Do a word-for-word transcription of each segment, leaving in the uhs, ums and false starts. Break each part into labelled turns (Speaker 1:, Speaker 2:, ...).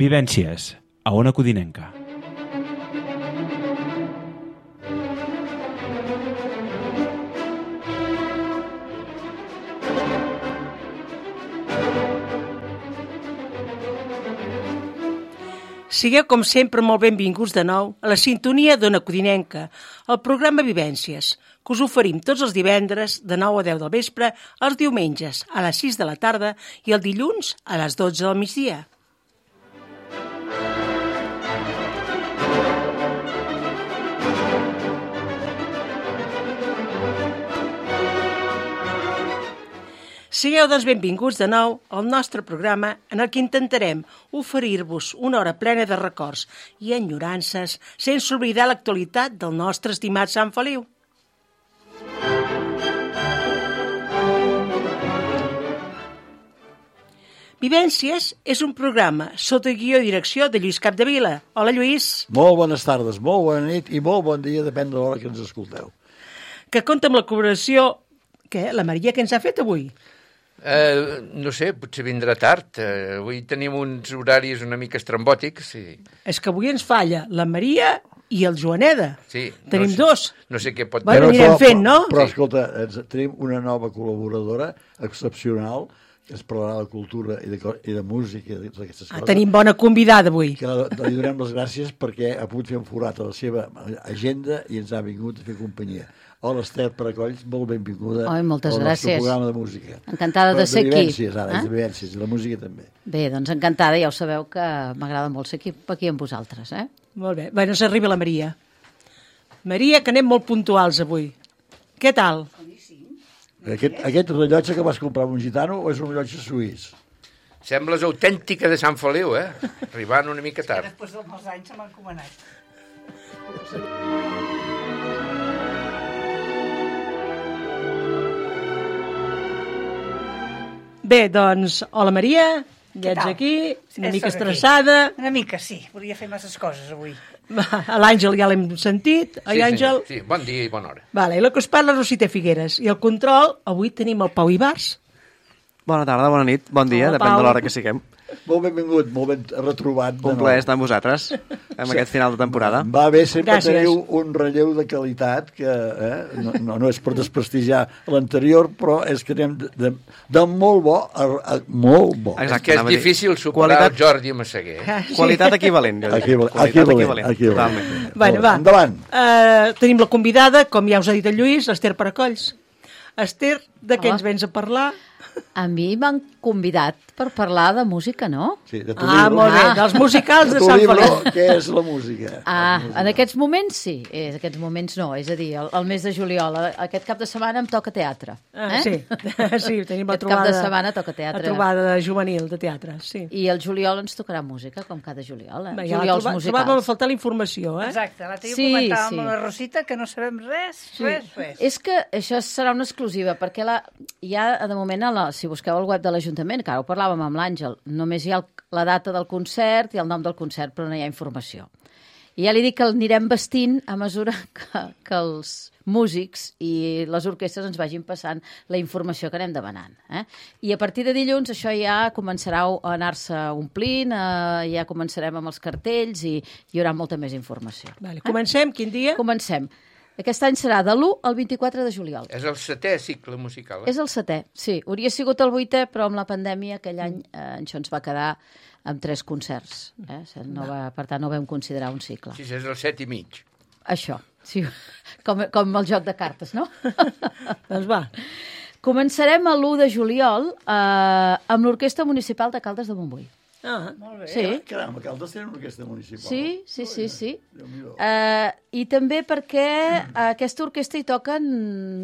Speaker 1: Vivències, a Ona Codinenca.
Speaker 2: Sigueu, com sempre, molt benvinguts de nou a la sintonia d'Ona Codinenca, el programa Vivències, que us oferim tots els divendres de nou a deu del vespre, els diumenges a les sis de la tarda i el dilluns a les dotze del migdia. Sigueu, doncs, benvinguts de nou al nostre programa en el que intentarem oferir-vos una hora plena de records i enyorances sense oblidar l'actualitat del nostre estimat Sant Feliu. Vivències és un programa sota guió i direcció de Lluís Capdevila. Hola, Lluís.
Speaker 3: Molt bones tardes, molt bona nit i molt bon dia, depèn de l'hora que ens escolteu.
Speaker 2: Que compta amb la col·laboració, què, la Maria, que ens ha fet avui?
Speaker 4: Uh, no sé, potser vindrà tard. Uh, avui tenim uns horaris una mica estrambòtics. Sí.
Speaker 2: És que avui ens falla la Maria i el Joaneda.
Speaker 4: Sí,
Speaker 2: tenim
Speaker 4: no sé,
Speaker 2: dos.
Speaker 4: No sé què pot...
Speaker 2: Bueno, anirem fent, no?
Speaker 3: Però, però escolta, tenim una nova col·laboradora excepcional que es parlarà de cultura i de, i de música i d'aquestes
Speaker 2: Ah,
Speaker 3: coses.
Speaker 2: tenim bona convidada avui.
Speaker 3: Que la, li donem les gràcies perquè ha pogut fer un forat a la seva agenda i ens ha vingut a fer companyia. Hola, Esther Paracolls, molt benvinguda
Speaker 5: Oi, moltes
Speaker 3: al
Speaker 5: gràcies.
Speaker 3: nostre programa de música.
Speaker 5: Encantada de
Speaker 3: Però
Speaker 5: ser aquí.
Speaker 3: De vivències, ara,
Speaker 5: eh?
Speaker 3: de vivències, i la música també.
Speaker 5: Bé, doncs encantada, ja ho sabeu que m'agrada molt ser aquí, aquí amb vosaltres. Eh?
Speaker 2: Molt bé. Bé, no s'arriba la Maria. Maria, que anem molt puntuals avui. Què tal?
Speaker 3: Aquest, aquest rellotge que vas comprar amb un gitano o és un rellotge suís?
Speaker 4: Sembles autèntica de Sant Feliu, eh? Arribant una mica tard.
Speaker 6: Després de molts anys se m'ha encomanat.
Speaker 2: Bé, doncs, hola Maria, ja ets
Speaker 6: tal?
Speaker 2: aquí, una
Speaker 6: Ja
Speaker 2: mica
Speaker 6: soc aquí.
Speaker 2: estressada.
Speaker 6: Una mica, sí. Volia fer masses coses avui.
Speaker 2: A l'Àngel ja l'hem sentit, oi,
Speaker 4: Sí,
Speaker 2: Àngel?
Speaker 4: senyor. Sí, bon dia i bona hora.
Speaker 2: Vale, i la que us parla Rosita Figueres. I el control, avui tenim el Pau Ibars.
Speaker 7: Bona tarda, bona nit, bon dia,
Speaker 2: Hola,
Speaker 7: depèn
Speaker 2: Pau.
Speaker 7: de l'hora que siguem.
Speaker 3: Molt benvingut, molt ben retrobat. de
Speaker 7: Un
Speaker 3: nou.
Speaker 7: plaer estar amb vosaltres en aquest final de temporada.
Speaker 3: Va bé, sempre
Speaker 2: Gràcies.
Speaker 3: teniu un relleu de qualitat que eh, no, no, no és per desprestigiar l'anterior, però és que anem de, de, de molt bo a, a molt bo.
Speaker 7: Exacte.
Speaker 4: És que és
Speaker 7: anava a dir,
Speaker 4: difícil superar
Speaker 7: qualitat-
Speaker 4: el Jordi Massaguer. Eh?
Speaker 7: Qualitat equivalent. jo diria.
Speaker 3: Equivalent,
Speaker 7: Qualitat
Speaker 3: equivalent,
Speaker 7: equivalent,
Speaker 3: equivalent.
Speaker 7: totalment.
Speaker 2: Bueno, va.
Speaker 3: Endavant.
Speaker 2: Uh, tenim la convidada, com ja us ha dit el Lluís, l'Ester Paracolls. Esther, de què
Speaker 5: Hola.
Speaker 2: ens vens a parlar?
Speaker 5: A mi m'han convidat per parlar de música, no?
Speaker 3: Sí, de tu
Speaker 2: Ah,
Speaker 3: libro.
Speaker 2: molt bé, dels musicals
Speaker 3: De
Speaker 2: de
Speaker 3: tu
Speaker 2: Sant
Speaker 3: libro,
Speaker 2: Feliu.
Speaker 3: què és la música?
Speaker 5: Ah,
Speaker 3: La música.
Speaker 5: en aquests moments sí, eh, en aquests moments no, és a dir, el, el mes de juliol, aquest cap de setmana em toca teatre.
Speaker 2: Ah,
Speaker 5: eh?
Speaker 2: sí, sí, tenim la
Speaker 5: Aquest
Speaker 2: trobada.
Speaker 5: cap de setmana toca teatre.
Speaker 2: La trobada juvenil de teatre, sí.
Speaker 5: I el juliol ens tocarà música, com cada juliol, eh?
Speaker 2: Bé, ja la
Speaker 5: Juliols
Speaker 2: troba-
Speaker 5: musicals.
Speaker 2: trobàvem a faltar la informació, eh?
Speaker 6: Exacte, l'altre dia
Speaker 5: Sí,
Speaker 6: comentàvem
Speaker 5: sí.
Speaker 6: amb la Rosita que no sabem res, res, res.
Speaker 5: És que això serà una exclusiva, perquè la, ja de moment, a la, si busqueu el web de l'Ajuntament, que ara ho parlàvem amb l'Àngel, només hi ha el, la data del concert i el nom del concert, però no hi ha informació. I ja li dic que el anirem vestint a mesura que, que els músics i les orquestres ens vagin passant la informació que anem demanant. Eh? I a partir de dilluns això ja començarà a anar-se omplint, eh, ja començarem amb els cartells i hi haurà molta més informació.
Speaker 2: Vale, comencem, quin dia?
Speaker 5: Comencem. Aquest any serà de l'u al vint-i-quatre de juliol.
Speaker 4: És el setè cicle musical. Eh?
Speaker 5: És el setè, sí. Hauria sigut el vuitè, però amb la pandèmia aquell any eh, això ens va quedar amb tres concerts. Eh? No va, per tant, no vam considerar un cicle.
Speaker 4: Sí, és el set i mig.
Speaker 5: Això, sí. Com, com el joc de cartes, no?
Speaker 2: Doncs va.
Speaker 5: Començarem a l'u de juliol eh, amb l'Orquestra Municipal de Caldes de Montbui.
Speaker 2: Ah,
Speaker 6: Molt bé.
Speaker 5: Sí,
Speaker 3: Caram, Caldes tenen una orquestra municipal.
Speaker 5: sí, sí, sí. sí.
Speaker 3: Déu-n'hi-do.
Speaker 5: Eh, I també perquè a aquesta orquestra hi toquen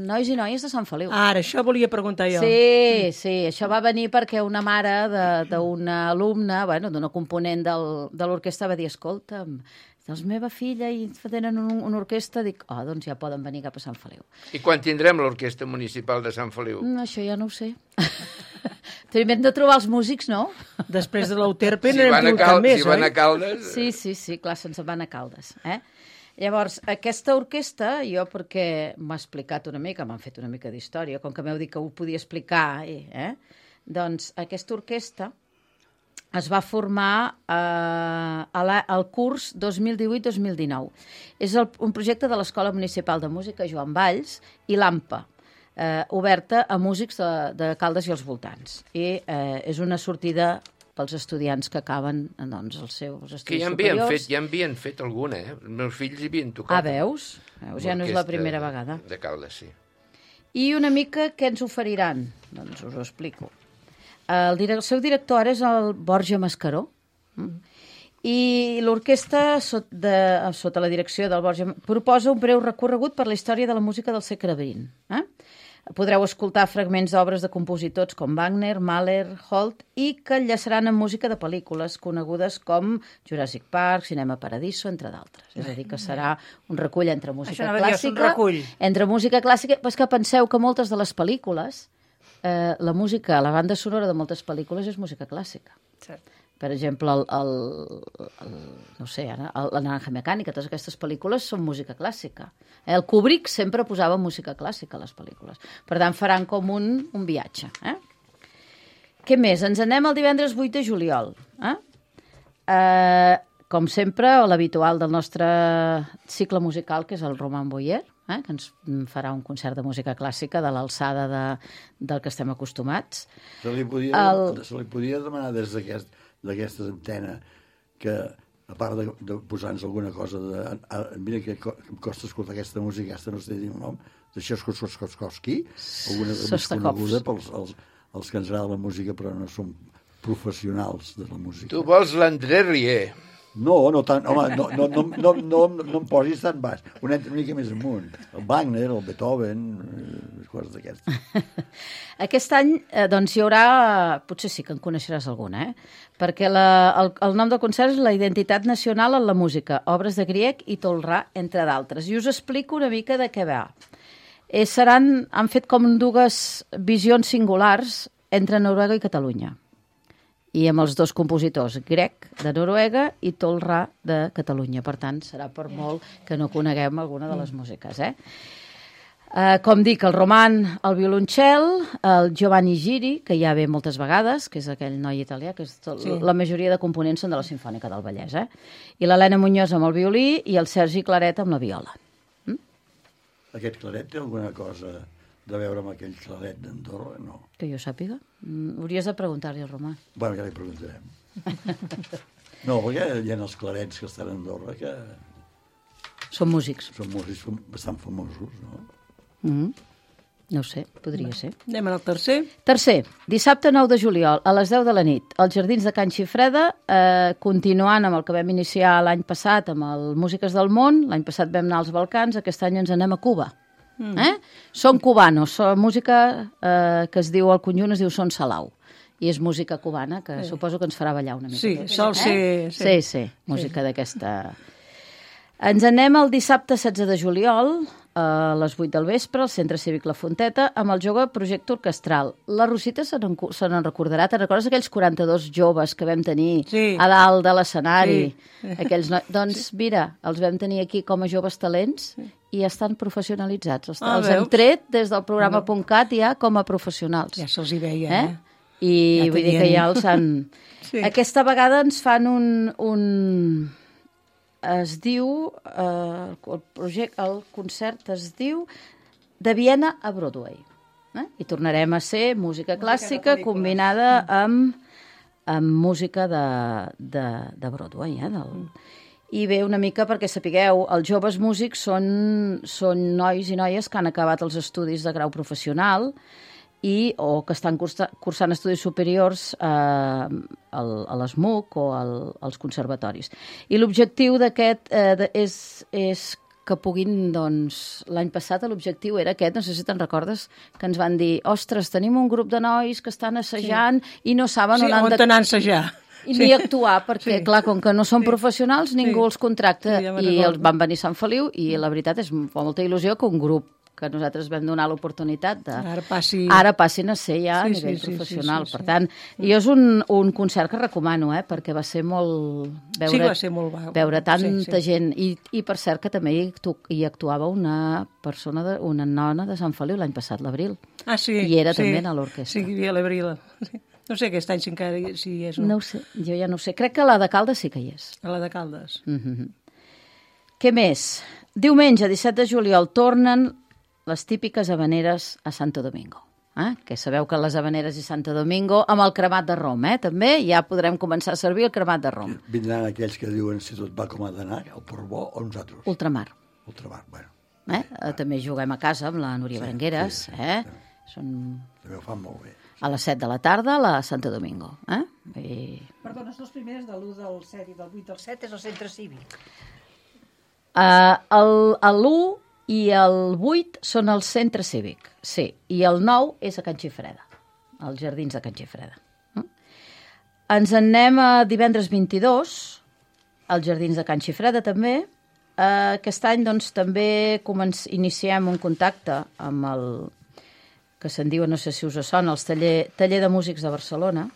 Speaker 5: nois i noies de Sant Feliu.
Speaker 2: ara, això volia preguntar jo.
Speaker 5: Sí, sí, això va venir perquè una mare de- d'una alumna, bueno, d'una component del, de l'orquestra va dir, escolta'm, Doncs meva filla i tenen un, una orquestra, dic, oh, doncs ja poden venir cap a Sant Feliu.
Speaker 4: I quan tindrem l'Orquestra Municipal de Sant Feliu?
Speaker 5: Mm, això ja no ho sé. Primer hem de trobar els músics, no?
Speaker 2: Després de l'Euterpe
Speaker 4: Si
Speaker 2: n'hem
Speaker 4: van a,
Speaker 2: tingut
Speaker 4: Cal
Speaker 2: més,
Speaker 4: si van a
Speaker 2: oi?
Speaker 4: Caldes...
Speaker 5: Sí, sí, sí, clar, se'ns en van a Caldes. Eh? Llavors, aquesta orquestra, jo perquè m'ha explicat una mica, m'han fet una mica d'història, com que m'heu dit que ho podia explicar, eh? Doncs aquesta orquestra es va formar eh, a la, al curs dos mil divuit dos mil dinou. És el, un projecte de l'Escola Municipal de Música Joan Valls i l'AMPA, eh, oberta a músics de, de Caldes i els voltants. I eh, és una sortida pels estudiants que acaben doncs, els seus estudis
Speaker 4: Que ja en havien
Speaker 5: superiors.
Speaker 4: fet, ja en havien fet alguna, eh? Els meus fills hi havien tocat.
Speaker 5: Ah, veus? veus? Ja no és la primera vegada.
Speaker 4: De Caldes, sí.
Speaker 5: I una mica què ens oferiran? Doncs us ho explico. El, dire el seu director ara és el Borja Mascaró, mm? I l'orquestra, sot de, sota la direcció del Borja, proposa un breu recorregut per la història de la música del segle vint. Eh? Podreu escoltar fragments d'obres de compositors com Wagner, Mahler, Holt, i que enllaçaran amb música de pel·lícules conegudes com Jurassic Park, Cinema Paradiso, entre d'altres. És a dir, que serà un recull entre música
Speaker 6: Això anava a dir, és un
Speaker 5: clàssica...
Speaker 6: recull.
Speaker 5: Entre música clàssica... Però és que penseu que moltes de les pel·lícules, eh, la música, la banda sonora de moltes pel·lícules és música clàssica.
Speaker 6: Cert.
Speaker 5: Per exemple, el, el, el, no sé, ara, el, la Naranja Mecànica, totes aquestes pel·lícules són música clàssica. El Kubrick sempre posava música clàssica a les pel·lícules. Per tant, faran com un, un viatge. Eh? Què més? Ens anem el divendres vuit de juliol. Eh? Eh, com sempre, l'habitual del nostre cicle musical, que és el Roman Boyer, eh? que ens farà un concert de música clàssica de l'alçada de, del que estem acostumats.
Speaker 3: Se li podia,
Speaker 5: El-
Speaker 3: se li podia demanar des d'aquest d'aquesta antena que, a part de, de posar-nos alguna cosa de... A, a, mira que co- em costa escoltar aquesta música, aquesta no sé dir el nom, de Tchaikovsky, alguna de més
Speaker 5: Sostakovs.
Speaker 3: coneguda pels els, els que ens agrada la música però no som professionals de la música.
Speaker 4: Tu vols l'André Rieu.
Speaker 3: No, no tant, home, no, no, no, no, no, no em posis tan baix. Un entra una mica més amunt. El Wagner, el Beethoven, eh, coses d'aquestes.
Speaker 5: Aquest any, eh, doncs, hi haurà... Potser sí que en coneixeràs alguna, eh? Perquè la, el, el nom del concert és La identitat nacional en la música, obres de Grieg i Tolrà, entre d'altres. I us explico una mica de què va. Eh, seran, han fet com dues visions singulars entre Noruega i Catalunya. I amb els dos compositors, Grieg, de Noruega, i Tolrà, de Catalunya. Per tant, serà per molt que no coneguem alguna de les músiques, eh? Uh, com dic, el Roman al violoncel, el Giovanni Giri, que ja ve moltes vegades, que és aquell noi italià, que és tot, sí. La majoria de components són de la Simfònica del Vallès, eh? I l'Helena Muñoz amb el violí i el Sergi Claret amb la viola. Mm?
Speaker 3: Aquest claret té alguna cosa de veure amb aquell claret d'Andorra? No.
Speaker 5: Que jo sàpiga. Mm, hauries de preguntar-li al Romà.
Speaker 3: Bueno, ja li preguntarem. No, perquè hi ha els clarets que estan a Andorra que
Speaker 5: Són músics.
Speaker 3: són músics bastant famosos, no?
Speaker 5: Mm -hmm. No ho sé, podria ser.
Speaker 2: Anem al tercer.
Speaker 5: Tercer, dissabte nou de juliol, a les deu de la nit, als Jardins de Can Xifreda, eh, continuant amb el que vam iniciar l'any passat amb el Músiques del Món. L'any passat vam anar als Balcans, aquest any ens anem a Cuba. Mm. Eh? Són cubanos, són música eh, que es diu, al conjunt es diu Son Salau, i és música cubana, que sí. Suposo que ens farà ballar una mica.
Speaker 2: Sí, sol ser...
Speaker 5: Eh? Sí, sí, música sí. d'aquesta... Ens anem el dissabte setze de juliol, a les vuit del vespre, al Centre Cívic La Fonteta, amb el jove projecte orquestral. La Rosita se n'en se n'en recordarà. Te'n recordes aquells quaranta-dos joves que vam tenir
Speaker 2: sí.
Speaker 5: a dalt de l'escenari?
Speaker 2: Sí.
Speaker 5: Aquells no... Doncs sí. Mira, els vam tenir aquí com a joves talents sí. i estan professionalitzats. Els,
Speaker 2: Ah,
Speaker 5: els
Speaker 2: veus?
Speaker 5: hem tret des del programa punt cat ja com a professionals.
Speaker 2: Ja se'ls hi veia,
Speaker 5: Eh?
Speaker 2: eh?
Speaker 5: I
Speaker 2: Ja
Speaker 5: vull dir que
Speaker 2: tenien-
Speaker 5: ja els han...
Speaker 2: Sí.
Speaker 5: Aquesta vegada ens fan un... un... Es diu... Eh, el, projecte, el concert es diu De Viena a Broadway. Eh? I tornarem a ser música clàssica
Speaker 6: pel·lícules.
Speaker 5: combinada amb, amb música de, de, de Broadway. Eh? Del... I bé, una mica perquè sapigueu, els joves músics són, són nois i noies que han acabat els estudis de grau professional i, o que estan cursa, cursant estudis superiors eh, al, a l'ESMUC o al, als conservatoris. I l'objectiu d'aquest eh, de, és, és que puguin, doncs, l'any passat l'objectiu era aquest, no sé si te'n recordes, que ens van dir, ostres, tenim un grup de nois que estan assajant sí. i no saben
Speaker 2: Sí,
Speaker 5: on han
Speaker 2: on
Speaker 5: de...
Speaker 2: t'anar a ensejar.
Speaker 5: I ni actuar, perquè,
Speaker 2: Sí.
Speaker 5: clar, com que no són
Speaker 2: Sí.
Speaker 5: professionals, ningú
Speaker 2: Sí.
Speaker 5: els contracta.
Speaker 2: Sí, ja me'n
Speaker 5: I
Speaker 2: recordo.
Speaker 5: els van venir a Sant Feliu i la veritat és amb molta il·lusió que un grup que nosaltres vam donar l'oportunitat de...
Speaker 2: Ara passi...
Speaker 5: Ara passin a ser ja a
Speaker 2: Sí,
Speaker 5: nivell
Speaker 2: sí, sí,
Speaker 5: professional.
Speaker 2: sí, sí, sí.
Speaker 5: Per tant, jo és un, un concert que recomano, eh, perquè va ser molt... Veure,
Speaker 2: Sí que va ser molt va-
Speaker 5: Veure tanta
Speaker 2: sí, sí.
Speaker 5: gent. I, I per cert que també hi, actu hi actuava una persona, de, una nona de Sant Feliu l'any passat, l'Abril.
Speaker 2: Ah, sí.
Speaker 5: I era
Speaker 2: sí.
Speaker 5: també a l'orquestra.
Speaker 2: Sí, hi havia l'Abril. Sí. No sé aquest any si encara hi- si hi és o
Speaker 5: No ho sé, jo ja no ho sé. Crec que la de Caldes sí que hi és.
Speaker 2: A la de Caldes.
Speaker 5: Mm -hmm. Què més? Diumenge, disset de juliol, tornen les típiques habaneres a Santo Domingo. Eh? Que sabeu que les habaneres i Santo Domingo, amb el cremat de rom, eh? també ja podrem començar a servir el cremat de rom.
Speaker 3: Vindran aquells que diuen si tot va com ha d'anar, el Portbó o nosaltres.
Speaker 5: Ultramar.
Speaker 3: Ultramar, bueno.
Speaker 5: Eh? Eh, també juguem a casa amb la Núria
Speaker 3: Sí,
Speaker 5: Berengueres.
Speaker 3: sí, sí,
Speaker 5: eh?
Speaker 3: sí.
Speaker 5: Són
Speaker 3: També ho fan molt bé.
Speaker 5: a les set de la tarda a la Santo Domingo. Eh? I...
Speaker 6: Perdona, les dues primeres de l'u del set i del vuit del set és el centre cívic.
Speaker 5: Uh, el, l'u i el vuit són al centre cívic, sí, i el nou és a Can Xifreda, als jardins de Can Xifreda. Mm? Ens en anem a divendres vint-i-dos, als jardins de Can Xifreda també. Uh, aquest any doncs, també començ, iniciem un contacte amb el que se'n diu, no sé si us sona, el taller, taller de músics de Barcelona.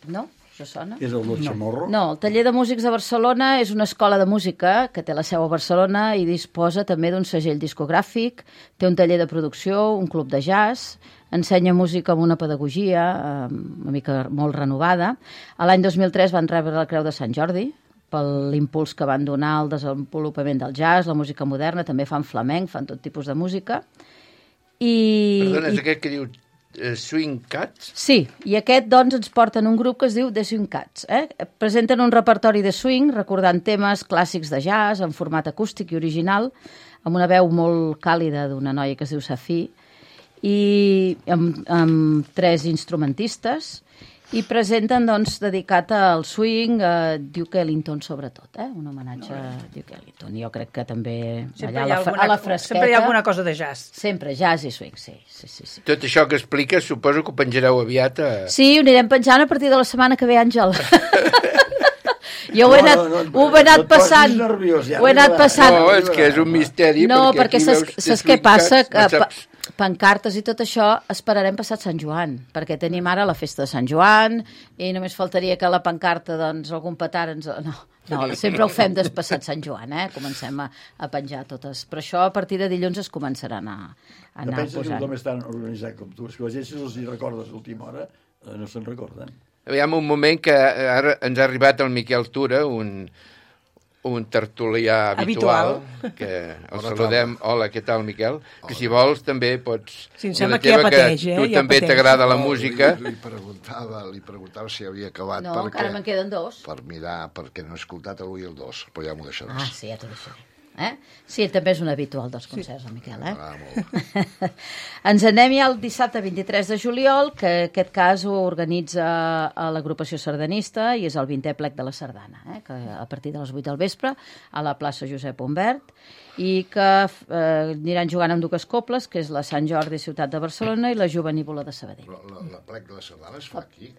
Speaker 5: No? Us sona?
Speaker 3: És el del Chamorro?
Speaker 5: No, el Taller de Músics de Barcelona és una escola de música que té la seu a Barcelona i disposa també d'un segell discogràfic, té un taller de producció, un club de jazz, ensenya música amb una pedagogia eh, una mica molt renovada. A l'any dos mil tres van rebre la Creu de Sant Jordi per l'impuls que van donar al desenvolupament del jazz, la música moderna, també fan flamenc, fan tot tipus de música. I,
Speaker 4: Perdona, és
Speaker 5: i
Speaker 4: aquest que diu eh, Swing Cats?
Speaker 5: Sí, i aquest, doncs, ens porten un grup que es diu The Swing Cats. Eh? Presenten un repertori de swing, recordant temes clàssics de jazz, en format acústic i original, amb una veu molt càlida d'una noia que es diu Safí, i amb, amb tres instrumentistes, i presenten, doncs, dedicat al swing, a Duke Ellington, sobretot, eh? Un homenatge a Duke Ellington. Jo crec que també
Speaker 6: Sempre
Speaker 5: allà
Speaker 6: hi,
Speaker 5: a
Speaker 6: ha
Speaker 5: la,
Speaker 6: alguna,
Speaker 5: a la fresqueta...
Speaker 6: sempre hi ha alguna cosa de jazz.
Speaker 5: Sempre, jazz i swing, sí, sí, sí, sí.
Speaker 4: Tot això que expliques, suposo que ho penjareu aviat a...
Speaker 5: Sí, ho anirem penjant a partir de la setmana que ve, Àngel. Jo ho he anat,
Speaker 3: No, no, no,
Speaker 5: ho he anat
Speaker 3: no et posis
Speaker 5: passant.
Speaker 3: nerviós, ja
Speaker 5: Ho he anat
Speaker 3: arribarà.
Speaker 5: passant.
Speaker 4: No, és que és un misteri,
Speaker 5: No, perquè
Speaker 4: aquí
Speaker 5: saps,
Speaker 4: veus The
Speaker 5: saps què
Speaker 4: Swing
Speaker 5: passa?
Speaker 4: Cats,
Speaker 5: Que
Speaker 4: no
Speaker 5: pa-
Speaker 4: saps.
Speaker 5: pancartes i tot això esperarem passat Sant Joan, perquè tenim ara la festa de Sant Joan i només faltaria que la pancarta, doncs, algun petard ens... No, no, sempre ho fem despassat Sant Joan, eh? Comencem a, a penjar totes. Però això a partir de dilluns es començaran a, a
Speaker 3: No
Speaker 5: anar
Speaker 3: penses que
Speaker 5: posant.
Speaker 3: tothom és tan organitzat com tu. És que la gent, si els hi recordes a última hora, eh, no se'n recorden.
Speaker 4: Aviam, un moment que ara ens ha arribat el Miquel Tura, un, un tertulià habitual,
Speaker 2: Habitual.
Speaker 4: que el saludem. Hola, què tal, Miquel? Que si vols també pots...
Speaker 2: Sí, em
Speaker 4: dir
Speaker 2: sembla
Speaker 4: la
Speaker 2: que ja
Speaker 4: teva,
Speaker 2: pateix, eh?
Speaker 4: Tu
Speaker 2: Ja
Speaker 4: també
Speaker 2: pateix.
Speaker 4: t'agrada la
Speaker 8: No,
Speaker 4: música.
Speaker 8: Li, li, preguntava, li preguntava si havia acabat
Speaker 5: No,
Speaker 8: perquè,
Speaker 5: encara me'n queden dos.
Speaker 8: per mirar, perquè no he escoltat avui el dos, però ja m'ho
Speaker 5: Ah,
Speaker 8: deixaràs.
Speaker 5: sí, ja t'ho deixaré. Eh? Sí, també és un habitual dels concerts, el Miquel, eh?
Speaker 8: Ah, molt.
Speaker 5: Ens anem ja el dissabte vint-i-tres de juliol, que en aquest cas ho organitza a l'agrupació sardanista i és el vintè plec de la sardana, eh? Que a partir de les vuit del vespre a la plaça Josep Humbert, i que eh, aniran jugant amb dues cobles, que és la Sant Jordi Ciutat de Barcelona i la Jovenívola de Sabadell.
Speaker 8: La, la, la plec de la sardana es fa aquí.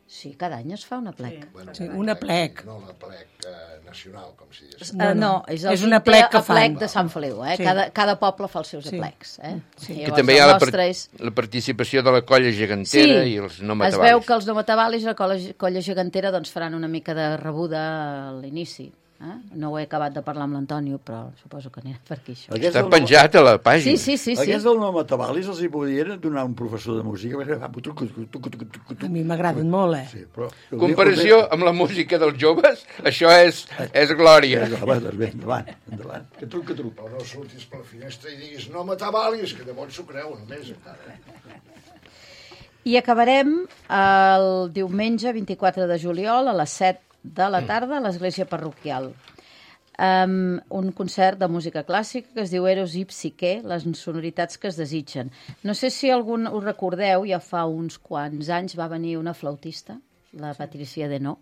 Speaker 5: Sí, cada any es fa una plec.
Speaker 8: Bueno,
Speaker 2: Sí, una plec.
Speaker 8: No la plec eh, nacional, com si digués.
Speaker 5: No, no, és, el
Speaker 2: és una
Speaker 5: vintè
Speaker 2: plec que fan.
Speaker 5: aplec de Sant Feliu, eh?
Speaker 2: Sí.
Speaker 5: Cada, cada poble fa els seus
Speaker 2: Sí.
Speaker 5: aplecs, eh? Sí.
Speaker 4: Que també hi ha
Speaker 5: el
Speaker 4: la, par
Speaker 5: nostre és...
Speaker 4: la participació de la colla gegantera i els no
Speaker 5: es
Speaker 4: matabalis.
Speaker 5: veu que els no matabalis i la colla, colla gegantera doncs, faran una mica de rebuda a l'inici. Eh? No ho he acabat de parlar amb l'Antonio, però suposo que anirà per aquí, això.
Speaker 3: Aquest
Speaker 4: Està
Speaker 3: del
Speaker 4: penjat a la
Speaker 5: Sí,
Speaker 4: pàgina.
Speaker 5: sí, sí. sí.
Speaker 3: Aquests del nom Atabalis els hi podien donar un professor de música. perquè fa tuc, tuc, tuc, tuc, tuc, tuc, tuc.
Speaker 2: A mi m'agraden molt, eh?
Speaker 3: Sí, però...
Speaker 4: Comparació amb la música dels joves, això és, és glòria.
Speaker 3: Va, doncs bé, endavant, endavant. Que truc, que truc.
Speaker 8: Però no surtis per la finestra i diguis no m'atabalis, que llavors s'ho creu només encara.
Speaker 5: I acabarem el diumenge vint-i-quatre de juliol a les set de la tarda a l'església parroquial. Um, un concert de música clàssica que es diu Eros i Psique, les sonoritats que es desitgen. No sé si algun us recordeu, ja fa uns quants anys va venir una flautista, la Patricia Denó,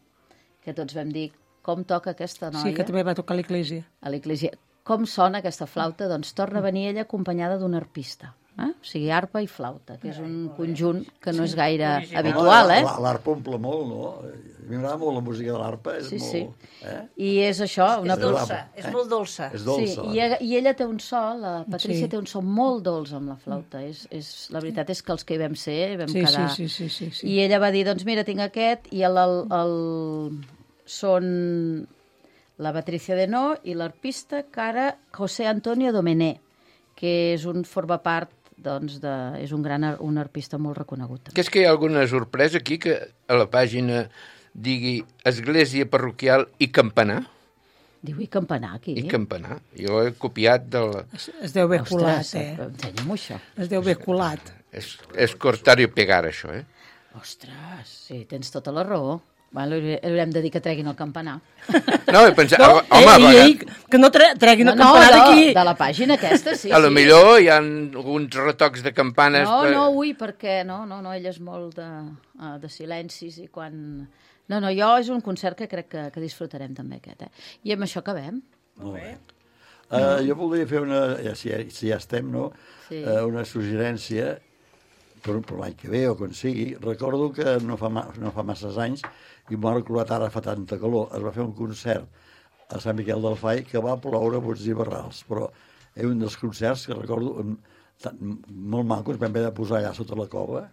Speaker 5: que tots vam dir com toca aquesta noia
Speaker 2: Sí, que també va tocar a l'església.
Speaker 5: a l'església. Com sona aquesta flauta? Doncs torna a venir ella acompanyada d'un arpista. Eh? O sigui, arpa i flauta, que és un conjunt que no és gaire habitual, eh?
Speaker 3: L'arpa omple molt, no? A mi m'agrada molt la música de l'arpa, és
Speaker 5: Sí,
Speaker 3: molt...
Speaker 5: sí.
Speaker 3: Eh?
Speaker 5: I és això, una
Speaker 6: És dolça, és molt dolça.
Speaker 3: És
Speaker 5: Sí,
Speaker 3: dolça.
Speaker 5: i, ella- i ella té un so, la Patrícia
Speaker 2: Sí.
Speaker 5: té un so molt dolç amb la flauta. És, és, la veritat és que els que hi vam ser vam
Speaker 2: Sí, sí,
Speaker 5: quedar...
Speaker 2: sí, sí, sí, sí.
Speaker 5: I ella va dir, doncs mira, tinc aquest, i el, el, el, són la Patricia Denó i l'arpista cara José Antonio Domené, que és un forma part, doncs, de, és un gran ar- un arpista molt reconegut.
Speaker 4: Que és que hi ha alguna sorpresa aquí que a la pàgina digui Església Parroquial i Campanar?
Speaker 5: Diu, i campanar, aquí?
Speaker 4: I Campanar. Jo he copiat del...
Speaker 2: Es, es deu haver colat,
Speaker 5: Ostres,
Speaker 2: eh?
Speaker 5: ensenya-m'ho això.
Speaker 2: Es deu haver colat.
Speaker 4: És, és cortar i pegar, això, eh?
Speaker 5: Ostres, sí, tens tota la raó. Bueno, li haurem de dir que treguin el campanar.
Speaker 4: No, he pensat...
Speaker 2: No,
Speaker 4: home,
Speaker 2: ei,
Speaker 4: home,
Speaker 2: ei, que no tre treguin el
Speaker 5: no,
Speaker 2: campanar
Speaker 5: no,
Speaker 2: d'aquí.
Speaker 5: de la pàgina aquesta, sí.
Speaker 4: a lo
Speaker 5: sí.
Speaker 4: millor hi ha alguns retocs de campanes...
Speaker 5: No,
Speaker 4: per...
Speaker 5: no, ui, perquè no, no, no, ell és molt de, uh, de silencis i quan... No, no, jo és un concert que crec que, que disfrutarem també aquest, eh? I amb això acabem.
Speaker 3: Molt bé. Uh, jo voldria fer una, ja, si, ja, si ja estem, no?
Speaker 5: Sí.
Speaker 3: Uh, una suggerència per, per l'any que ve o quan sigui. Recordo que no fa, ma, no fa masses anys, i m'ho ha recordat ara fa tanta calor, es va fer un concert a Sant Miquel del Fai que va ploure bots i barrals, però és un dels concerts que recordo um, tan, molt macos, vam haver de posar allà sota la cova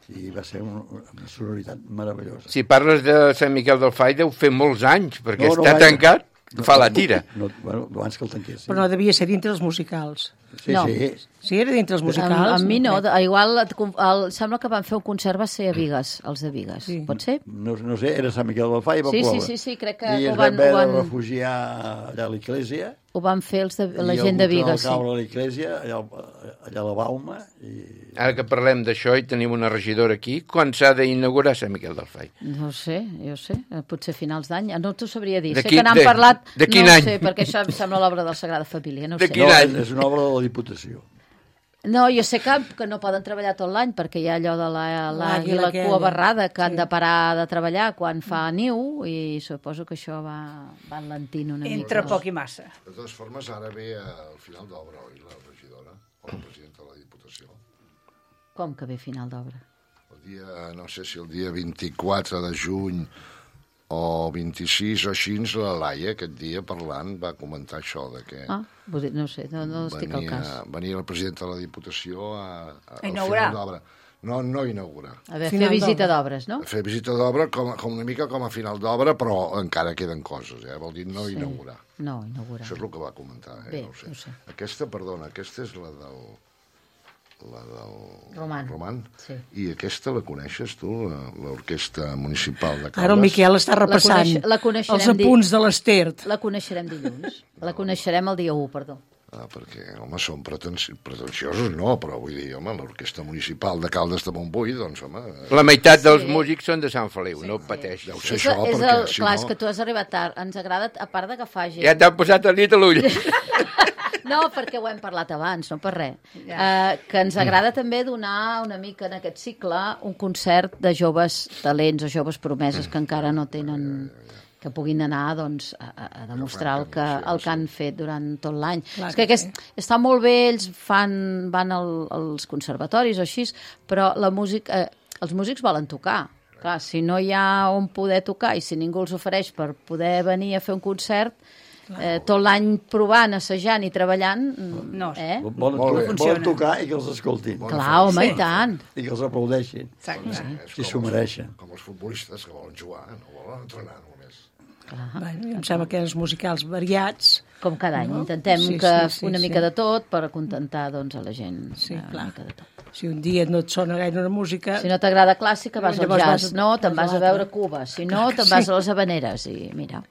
Speaker 3: i va ser un, una sonoritat meravellosa.
Speaker 4: Si parles de Sant Miquel del Fai, deu fer molts anys, perquè
Speaker 3: No, no,
Speaker 4: està
Speaker 3: gaire.
Speaker 4: tancat, fa la tira.
Speaker 3: No, bueno, abans que el tanquessin.
Speaker 2: Però no devia ser dintre els musicals.
Speaker 3: Sí,
Speaker 5: No.
Speaker 3: sí.
Speaker 2: Sí, era dintre els
Speaker 5: Amb,
Speaker 2: musicals.
Speaker 5: amb mi no,
Speaker 2: crec.
Speaker 5: de- igual et conf- el, sembla que van fer un concert, va ser a Vigues, els de Vigues,
Speaker 2: Sí.
Speaker 5: pot ser?
Speaker 3: No, no sé, era Sant Miquel del Fai i va
Speaker 5: Sí, sí,
Speaker 3: ploure.
Speaker 5: sí, sí, crec que
Speaker 3: I
Speaker 5: ho
Speaker 3: ens
Speaker 5: van-
Speaker 3: vam haver
Speaker 5: ho van-
Speaker 3: de refugiar allà a l'església.
Speaker 5: Ho van fer els de, la
Speaker 3: i
Speaker 5: gent de
Speaker 3: algú que
Speaker 5: Vigues,
Speaker 3: va caure
Speaker 5: sí.
Speaker 3: a l'església, allà, al- allà a la Bauma, i
Speaker 4: Ara que parlem d'això i tenim una regidora aquí, quan s'ha d'inaugurar Sant Miquel del Fai?
Speaker 5: No ho sé, jo sé, eh, potser finals d'any. No t'ho sabria dir.
Speaker 4: De
Speaker 5: Sé
Speaker 4: qui-
Speaker 5: que n'han
Speaker 4: de-
Speaker 5: parlat,
Speaker 4: de quin
Speaker 5: no ho
Speaker 4: any?
Speaker 5: sé, perquè això em sembla l'obra de la Sagrada Família, no ho
Speaker 4: De
Speaker 5: sé.
Speaker 4: quin
Speaker 3: no,
Speaker 4: any?
Speaker 3: és una obra de la Diputació.
Speaker 5: No, jo sé que, que no poden treballar tot l'any perquè hi ha allò de la- l'àguila
Speaker 2: L'àguila aquella.
Speaker 5: cua barrada que han de parar de treballar quan fa niu i suposo que això va, va enlentint una
Speaker 6: Entre
Speaker 5: mica.
Speaker 6: poc i massa.
Speaker 8: De totes formes, ara ve al final d'obra, oi, la regidora o la presidenta de la Diputació.
Speaker 5: Com que ve final d'obra?
Speaker 8: El dia, no sé si el dia vint-i-quatre de juny o vint-i-sis o així, la Laia, aquest dia, parlant, va comentar això, de que
Speaker 5: Ah, vull dir, no sé, no, no estic al cas.
Speaker 8: venia el president de la Diputació a, a,
Speaker 6: A inaugurar.
Speaker 8: al final d'obra. No, no inaugurar.
Speaker 5: A veure,
Speaker 2: Final
Speaker 5: fer visita
Speaker 2: d'obra.
Speaker 5: d'obres, no?
Speaker 8: Fer visita d'obra com, com una mica com a final d'obra, però encara queden coses, eh? Vol dir no
Speaker 5: Sí.
Speaker 8: inaugurar.
Speaker 5: No, inaugurar.
Speaker 8: Això és el que va comentar, eh?
Speaker 5: Bé,
Speaker 8: no ho sé.
Speaker 5: no ho sé.
Speaker 8: Aquesta, perdona, aquesta és la del... la del...
Speaker 5: Roman.
Speaker 8: Roman.
Speaker 5: Sí.
Speaker 8: I aquesta la coneixes, tu, la- l'Orquestra Municipal de Caldes?
Speaker 2: Ara el Miquel està repassant
Speaker 5: coneix- la coneixerem
Speaker 2: els apunts
Speaker 5: dir-
Speaker 2: de l'Estert.
Speaker 5: La coneixerem dilluns. La coneixerem el dia u, perdó.
Speaker 8: Ah, perquè, home, són pretensi pretensiosos, no, però vull dir, home, l'Orquestra Municipal de Caldes de Montbui, doncs, home...
Speaker 4: La meitat dels
Speaker 5: Sí.
Speaker 4: músics són de Sant Feliu, no pateix.
Speaker 8: Deu ser
Speaker 5: És,
Speaker 8: això,
Speaker 5: és
Speaker 8: perquè,
Speaker 5: el,
Speaker 8: si
Speaker 5: clar,
Speaker 8: no...
Speaker 5: és que tu has arribat tard. Ens agrada, a part d'agafar gent...
Speaker 4: Ja t'han posat el dit a l'ull.
Speaker 5: No, perquè ho hem parlat abans, no per res. Uh, que ens agrada també donar una mica en aquest cicle un concert de joves talents o joves promeses que encara no tenen que puguin anar doncs, a, a- a demostrar el que, el que han fet durant tot l'any.
Speaker 2: Clar
Speaker 5: És que
Speaker 2: que
Speaker 5: aquest, està molt bé, ells fan, van al, als conservatoris o així, però la música, eh, els músics volen tocar. Clar, si no hi ha on poder tocar i si ningú els ofereix per poder venir a fer un concert, eh, tot l'any provant, assajant i treballant,
Speaker 6: No.
Speaker 5: eh?
Speaker 3: Volen,
Speaker 8: Molt bé.
Speaker 3: volen
Speaker 6: Funciona.
Speaker 3: tocar i que els escoltin.
Speaker 5: Clar, home,
Speaker 6: Sí.
Speaker 5: i tant.
Speaker 3: I que els aplaudeixin.
Speaker 6: Exacte.
Speaker 8: És
Speaker 3: Si
Speaker 8: com
Speaker 3: s'ho
Speaker 8: els-
Speaker 3: mereixen.
Speaker 8: Com els futbolistes que volen jugar, no volen entrenar només.
Speaker 2: Bueno, em sembla que els musicals variats.
Speaker 5: Com cada any.
Speaker 2: No?
Speaker 5: Intentem
Speaker 2: Sí,
Speaker 5: que
Speaker 2: sí, sí,
Speaker 5: una
Speaker 2: sí.
Speaker 5: mica de tot per acontentar doncs, a la gent.
Speaker 2: Sí,
Speaker 5: eh, una
Speaker 2: clar.
Speaker 5: mica de tot.
Speaker 2: Si un dia no et sona gaire una música...
Speaker 5: Si no t'agrada clàssica, vas al
Speaker 2: Llavors
Speaker 5: jazz.
Speaker 2: vas-
Speaker 5: No, te'n
Speaker 2: vas
Speaker 5: vas
Speaker 2: a
Speaker 5: a veure
Speaker 2: l'altre.
Speaker 5: Cuba. Si no,
Speaker 2: Clar que
Speaker 5: te'n vas
Speaker 2: sí.
Speaker 5: a les Habaneres. I mira,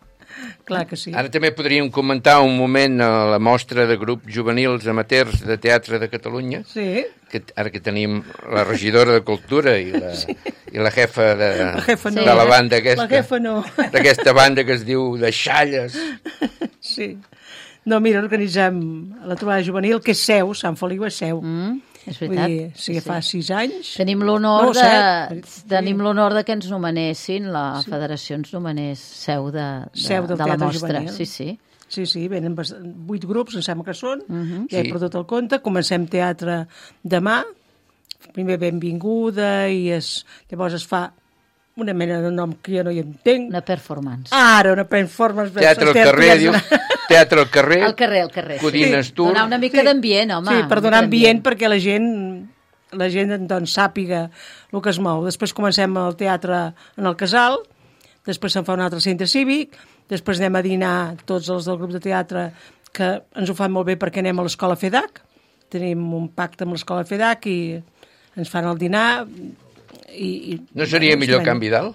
Speaker 2: Clar que sí.
Speaker 4: Ara també podríem comentar un moment a la mostra de grups juvenils amateurs de teatre de Catalunya,
Speaker 2: Sí,
Speaker 4: que ara que tenim la regidora de Cultura i la, sí. i la jefa de,
Speaker 2: la jefa no.
Speaker 4: de la banda aquesta,
Speaker 2: La jefa no.
Speaker 4: d'aquesta banda que es diu de Xalles.
Speaker 2: Sí. No, mira, organitzem la trobada juvenil, que és seu, Sant Feliu és seu.
Speaker 5: mm, és
Speaker 2: Vull
Speaker 5: veritat.
Speaker 2: dir, sí, fa sis anys.
Speaker 5: Tenim l'honor
Speaker 2: No,
Speaker 5: de,
Speaker 2: set.
Speaker 5: tenim l'honor de que ens nomenessin, la federació ens nomenés seu de, de,
Speaker 2: Seu del
Speaker 5: de la
Speaker 2: Teatre
Speaker 5: mostra.
Speaker 2: Juvenil.
Speaker 5: Sí, sí.
Speaker 2: Sí, sí, venen bast- vuit grups, em sembla que són, uh -huh. ja he
Speaker 4: Sí.
Speaker 2: perdut el compte. Comencem teatre demà, primer benvinguda, i es, llavors es fa una mena de nom que jo no hi entenc.
Speaker 5: Una performance.
Speaker 2: Ara, una performance.
Speaker 4: Teatre al carrer, diu. Teatre al carrer.
Speaker 5: Al carrer, al carrer.
Speaker 4: Codines Tour.
Speaker 5: Donar una mica
Speaker 2: Sí.
Speaker 5: d'ambient, home.
Speaker 2: Sí, per
Speaker 5: una
Speaker 2: donar
Speaker 5: mica
Speaker 2: ambient perquè la gent la gent doncs, sàpiga el que es mou. Després comencem el teatre en el Casal, després se'n fa un altre centre cívic, després anem a dinar tots els del grup de teatre, que ens ho fan molt bé perquè anem a l'escola FEDAC, tenim un pacte amb l'escola FEDAC i ens fan el dinar i... i
Speaker 4: No seria millor
Speaker 2: bueno,
Speaker 4: Can Vidal?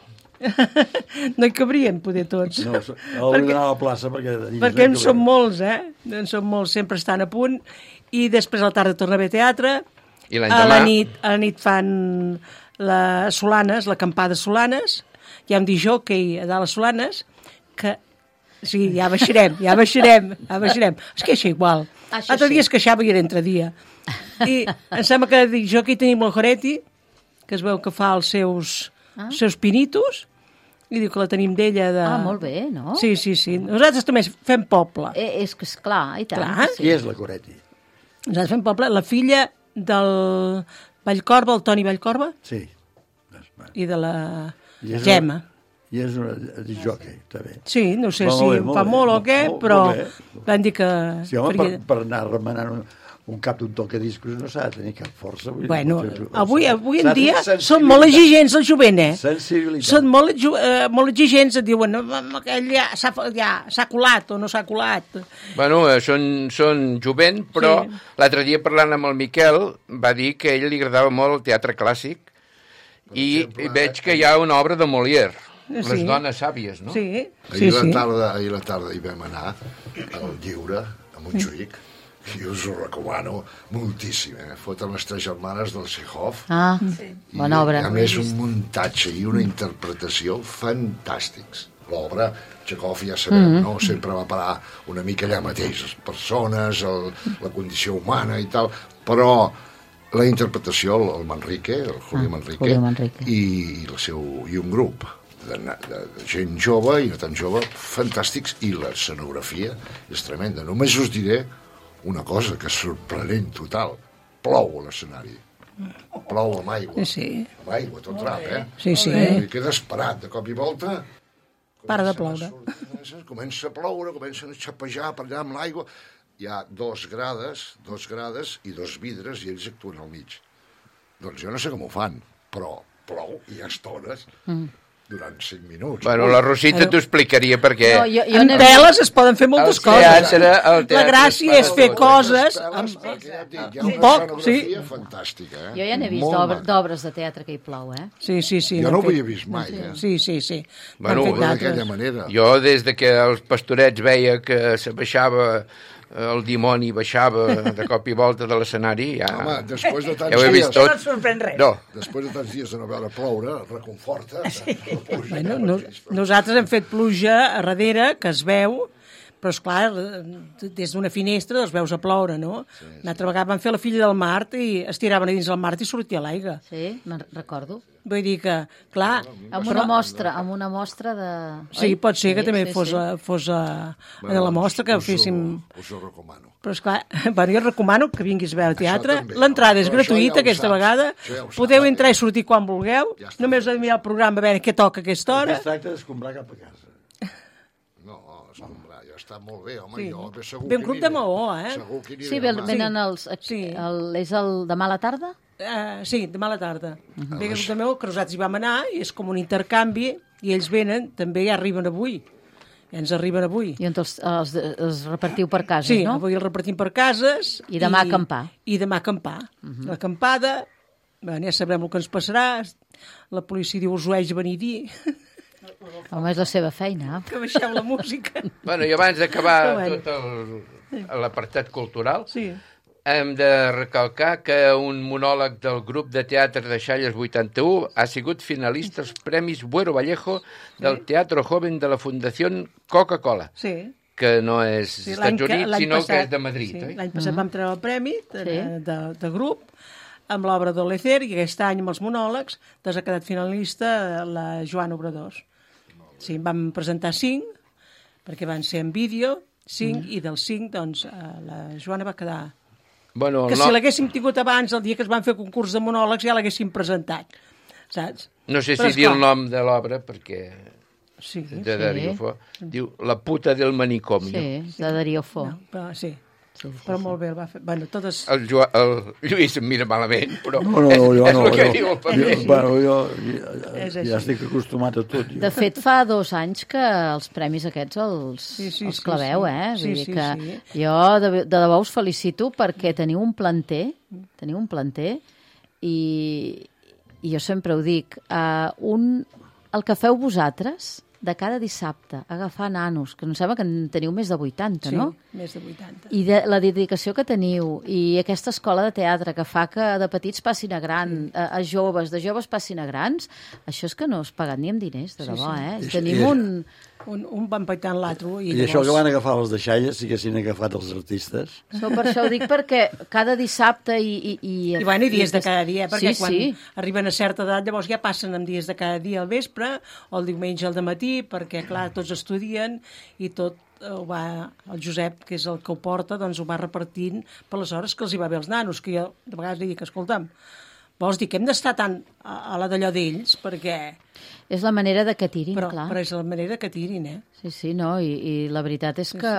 Speaker 2: no hi cabrien, poder tots.
Speaker 3: No, hauria d'anar a la plaça perquè... allí
Speaker 2: Perquè en
Speaker 3: no hi
Speaker 2: som
Speaker 3: cabem.
Speaker 2: molts, eh? En som molts, sempre estan a punt. I després a la tarda torna a haver teatre.
Speaker 4: I
Speaker 2: A
Speaker 4: l'endemà?
Speaker 2: la nit, a la nit fan les Solanes, l'acampada Solanes. Hi ha un disjockey a dalt a Solanes que... Sí, ja baixarem, ja baixarem, ja baixarem. Es queixa igual.
Speaker 5: Això
Speaker 2: L'altre
Speaker 5: sí.
Speaker 2: dia es queixava i era entre dia. I em sembla que de disjockey tenim el Joretti, que es veu que fa els seus,
Speaker 5: Ah.
Speaker 2: els seus pinitos, i diu que la tenim d'ella de...
Speaker 5: Ah, molt bé, no?
Speaker 2: Sí, sí, sí. Nosaltres també fem poble.
Speaker 5: Eh, és que és clar, i tant.
Speaker 2: Clar.
Speaker 5: Sí.
Speaker 3: Qui és la Coretti?
Speaker 2: Nosaltres fem poble. La filla del Vallcorba, el Toni Vallcorba,
Speaker 3: Sí. Doncs, va.
Speaker 2: i de la
Speaker 3: I és
Speaker 2: Gemma.
Speaker 3: Una, I és una disjockey, també.
Speaker 2: Sí, no sé
Speaker 3: Va,
Speaker 2: si
Speaker 3: molt bé,
Speaker 2: ho
Speaker 3: molt
Speaker 2: fa
Speaker 3: bé,
Speaker 2: molt o
Speaker 3: molt-
Speaker 2: què,
Speaker 3: molt-
Speaker 2: però
Speaker 3: molt bé.
Speaker 2: van dir que...
Speaker 3: Sí, home, per,
Speaker 2: faria-
Speaker 3: per anar remenant un, un cap d'un tocadiscos no s'ha de tenir cap força. Vull dir,
Speaker 2: Bueno,
Speaker 3: fer-
Speaker 2: avui, avui en
Speaker 3: s'ha de
Speaker 2: dia
Speaker 3: tenir
Speaker 2: són molt exigents el jovent, eh?
Speaker 3: Sensibilitat.
Speaker 2: Són molt, exu- eh, molt exigents, et diuen "No, aquell ja s'ha ja, s'ha colat o no s'ha colat.
Speaker 4: Bueno, eh, són, són jovent, però
Speaker 2: Sí.
Speaker 4: l'altre dia parlant amb el Miquel va dir que a ell li agradava molt el teatre clàssic i,
Speaker 8: exemple,
Speaker 4: i veig que hi ha una obra de Molière,
Speaker 2: Sí.
Speaker 4: Les dones sàvies, no?
Speaker 2: Sí,
Speaker 8: Ahir,
Speaker 2: sí,
Speaker 8: la
Speaker 2: sí.
Speaker 8: tarda, ahir la tarda hi vam anar al Lliure, a Montjuïc, i us ho recomano moltíssim. Eh? Foten les tres germanes del Chekhov.
Speaker 5: Ah, bona obra.
Speaker 8: I, a més, un muntatge i una interpretació fantàstics. L'obra, Chekhov, ja sabem, mm -hmm. no? Sempre va parar una mica allà mateix, les persones, el, la condició humana i tal, però la interpretació, el, el Manrique, el Julio
Speaker 5: Ah,
Speaker 8: Manrique,
Speaker 5: Julio Manrique.
Speaker 8: I, i, el seu, i un grup de, de, de gent jove i no tan jove, fantàstics, i l'escenografia és tremenda. Només us diré una cosa que és sorprenent total. Plou a l'escenari. Plou amb aigua.
Speaker 2: Sí.
Speaker 8: Amb aigua, tot rap, eh?
Speaker 2: Sí, sí.
Speaker 8: I quedes parat de cop i volta.
Speaker 2: Para de
Speaker 8: comencen a
Speaker 2: ploure.
Speaker 8: sortir- Comença a ploure, comencen a xapejar per allà amb l'aigua. Hi ha dos grades, dos grades i dos vidres i ells actuen al mig. Doncs jo no sé com ho fan, però plou i hi ha estones durant cinc minuts.
Speaker 4: Bueno, la Rosita t'ho explicaria perquè...
Speaker 5: No, jo, jo
Speaker 2: En
Speaker 5: n'he vist...
Speaker 2: peles es poden fer moltes
Speaker 4: El
Speaker 2: coses.
Speaker 4: teatre- el
Speaker 2: La
Speaker 4: teatre
Speaker 2: gràcia
Speaker 4: es
Speaker 2: és
Speaker 4: fa
Speaker 2: fer
Speaker 4: tot.
Speaker 2: coses
Speaker 8: Amb...
Speaker 2: amb...
Speaker 8: Perquè ja et dic, hi ha
Speaker 2: Un
Speaker 8: una
Speaker 2: poc,
Speaker 8: escenografia
Speaker 2: sí.
Speaker 8: fantàstica, eh?
Speaker 5: Jo ja n'he vist
Speaker 8: Molt
Speaker 5: d'obra-
Speaker 8: maca.
Speaker 5: d'obres de teatre que hi plou, eh?
Speaker 2: Sí, sí, sí.
Speaker 8: Jo
Speaker 2: n'han
Speaker 8: no ho
Speaker 2: fet-
Speaker 8: havia vist mai, eh?
Speaker 2: Sí, sí, sí.
Speaker 4: Bueno,
Speaker 2: N'han fet
Speaker 8: D'aquella
Speaker 2: d'altres.
Speaker 8: manera.
Speaker 4: Jo, des de que els pastorets veia que se baixava eh, el dimoni, baixava de cop i volta de l'escenari, ja...
Speaker 8: Home, després de tants
Speaker 4: ja ho he vist
Speaker 8: dies...
Speaker 4: tot.
Speaker 6: No et sorprèn res.
Speaker 4: No,
Speaker 8: Després de tants dies de no veure ploure, reconforta. Sí.
Speaker 2: Bueno, no, nosaltres hem fet pluja a darrere, que es veu, però, esclar, des d'una finestra els veus a ploure, no? Sí, sí. Una altra vegada van fer la filla del Mart i es tiraven a dins del Mart i sortia l'aigua.
Speaker 5: Sí, me'n recordo.
Speaker 2: Vull dir que, clar...
Speaker 5: Amb una mostra, amb una mostra de...
Speaker 2: Sí,
Speaker 5: Oi?
Speaker 2: pot ser que
Speaker 5: Sí,
Speaker 2: també
Speaker 5: sí,
Speaker 2: fos,
Speaker 5: sí.
Speaker 2: a, fos a, a la mostra, que
Speaker 8: us,
Speaker 2: féssim...
Speaker 8: Us, us ho recomano.
Speaker 2: Però, esclar, bueno, jo recomano que vinguis a veure teatre.
Speaker 8: també,
Speaker 2: L'entrada és
Speaker 8: però això
Speaker 2: gratuïta
Speaker 8: ja ho
Speaker 2: aquesta
Speaker 8: saps.
Speaker 2: vegada.
Speaker 8: Això ja ho
Speaker 2: Podeu
Speaker 8: saps.
Speaker 2: entrar i sortir quan vulgueu.
Speaker 8: Ja està.
Speaker 2: Només heu de mirar el programa a veure què toca a aquesta hora.
Speaker 3: Es tracta d'escombrar cap a casa.
Speaker 8: No, escombrar, ja està molt bé, home,
Speaker 2: Sí.
Speaker 8: jo segur
Speaker 2: Ve un
Speaker 8: que
Speaker 2: grup
Speaker 8: aniré.
Speaker 2: de Maó, eh?
Speaker 8: Segur que aniré
Speaker 5: Sí, ven-
Speaker 8: demà.
Speaker 5: venen els...
Speaker 2: Sí.
Speaker 5: El, és el demà a la tarda?
Speaker 2: Uh, sí, demà a la tarda. Uh
Speaker 8: Ah,
Speaker 2: -huh. Ve que meu, que nosaltres hi vam anar, i és com un intercanvi, i ells venen, també ja arriben avui. Ja ens arriben avui.
Speaker 5: I on els, els, els repartiu per casa,
Speaker 2: Sí,
Speaker 5: no?
Speaker 2: avui el repartim per cases.
Speaker 5: I demà acampar.
Speaker 2: I demà acampar. Uh -huh. L'acampada, bueno, ja sabrem el que ens passarà. La policia diu, us ho haig de venir a dir,
Speaker 5: Home, és la seva feina.
Speaker 2: que baixeu la música.
Speaker 4: bueno, i abans d'acabar
Speaker 2: Però bueno.
Speaker 4: tot el- l'apartat cultural,
Speaker 2: Sí.
Speaker 4: hem de recalcar que un monòleg del grup de teatre de Xalles vuitanta-u ha sigut finalista als Premis Buero Vallejo del Teatro Joven de la Fundació Coca-Cola,
Speaker 2: Sí.
Speaker 4: que no és
Speaker 2: Sí,
Speaker 4: Estats
Speaker 2: que-
Speaker 4: Units,
Speaker 2: l'any
Speaker 4: sinó
Speaker 2: passat-
Speaker 4: que és de Madrid.
Speaker 2: Sí,
Speaker 4: oi?
Speaker 2: l'any passat vam treure el premi de,
Speaker 5: Sí.
Speaker 2: de, de, de grup amb l'obra d'Olecer, i aquest any amb els monòlegs doncs ha quedat finalista la Joana Obradors. Sí, vam presentar cinc, perquè van ser en vídeo, cinc, i del cinc, doncs, eh, la Joana va quedar...
Speaker 4: Bueno,
Speaker 2: Que
Speaker 4: el
Speaker 2: si
Speaker 4: nom-
Speaker 2: l'haguéssim tingut abans, el dia que es van fer concurs de monòlegs, ja l'haguéssim presentat, saps?
Speaker 4: No sé
Speaker 2: Però,
Speaker 4: si dir
Speaker 2: esclar,
Speaker 4: el nom de l'obra, perquè...
Speaker 2: Sí,
Speaker 4: De Darío Fo. Diu La puta del manicomio.
Speaker 5: Sí, de Darío Fo.
Speaker 2: no, però, sí.
Speaker 5: Sí, sí,
Speaker 2: Però molt bé el va fer. Bueno, totes...
Speaker 4: El, Jo, el Lluís em mira malament, però
Speaker 3: No, no,
Speaker 4: és,
Speaker 3: jo
Speaker 4: és
Speaker 3: no.
Speaker 4: el que
Speaker 3: jo,
Speaker 4: diu el
Speaker 3: jo,
Speaker 4: paper.
Speaker 3: bueno, jo
Speaker 2: És
Speaker 3: ja,
Speaker 2: així.
Speaker 3: ja estic acostumat a tot. Jo.
Speaker 5: De fet, fa dos anys que els premis aquests els,
Speaker 2: Sí, sí,
Speaker 5: els
Speaker 2: sí,
Speaker 5: claveu,
Speaker 2: sí.
Speaker 5: eh?
Speaker 2: Sí,
Speaker 5: Vull dir
Speaker 2: sí,
Speaker 5: que
Speaker 2: sí.
Speaker 5: jo de, de debò us felicito perquè teniu un planter, teniu un planter i, i jo sempre ho dic, uh, un, el que feu vosaltres de cada dissabte, agafar nanos, que em sembla que en teniu més de vuitanta,
Speaker 2: Sí,
Speaker 5: no?
Speaker 2: més de vuitanta.
Speaker 5: I de, la dedicació que teniu i aquesta escola de teatre que fa que de petits passin a gran, a, a joves, de joves passin a grans, això és que no és pagat ni amb diners, de
Speaker 2: Sí,
Speaker 5: debò,
Speaker 2: sí.
Speaker 5: eh?
Speaker 3: I-
Speaker 5: Tenim
Speaker 3: i-
Speaker 5: un...
Speaker 2: Un, un va empaitant l'altre. I,
Speaker 3: I això que van agafar les deixalles, si haguessin agafat els artistes.
Speaker 5: So, per això ho dic perquè cada dissabte i... I, i,
Speaker 2: I, bueno, i dies de cada dia, perquè
Speaker 5: sí,
Speaker 2: quan
Speaker 5: sí.
Speaker 2: arriben a certa edat llavors ja passen amb dies de cada dia al vespre o el diumenge al matí, perquè, clar, tots estudien i tot ho va, el Josep, que és el que ho porta, doncs ho va repartint per les hores que els hi va bé als nanos, que jo de vegades li dic, escolta'm, vols dir que hem d'estar tant a, a la d'allò d'ells, perquè...
Speaker 5: És la manera de que tirin,
Speaker 2: Però,
Speaker 5: clar.
Speaker 2: però és la manera que tirin, eh?
Speaker 5: Sí, sí, no, i, i la veritat és que...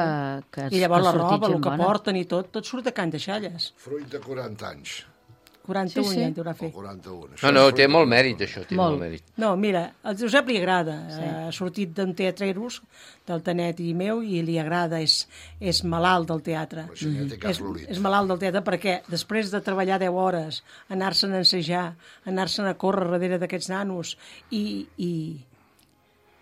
Speaker 5: que
Speaker 2: I llavors
Speaker 5: que
Speaker 2: la
Speaker 5: ha sortit
Speaker 2: roba,
Speaker 5: gent
Speaker 2: el que
Speaker 5: bona.
Speaker 2: porten i tot, tot surt de Can Deixalles.
Speaker 8: Fruit de quaranta anys.
Speaker 2: quaranta-un
Speaker 5: Sí, sí.
Speaker 2: ja en deurà
Speaker 8: O
Speaker 2: fer.
Speaker 8: quaranta-un.
Speaker 4: No, no, té molt mèrit, això, té
Speaker 5: Molt.
Speaker 4: molt mèrit.
Speaker 2: No, mira, al Josep li agrada. Sí. Ha sortit d'un teatreros, del Tanet i meu, i li agrada, és, és malalt del teatre.
Speaker 8: La senyora té cas
Speaker 2: És,
Speaker 8: l'olit.
Speaker 2: és malalt del teatre perquè després de treballar deu hores, anar-se'n a ensejar, anar-se'n a córrer darrere d'aquests nanos i, i,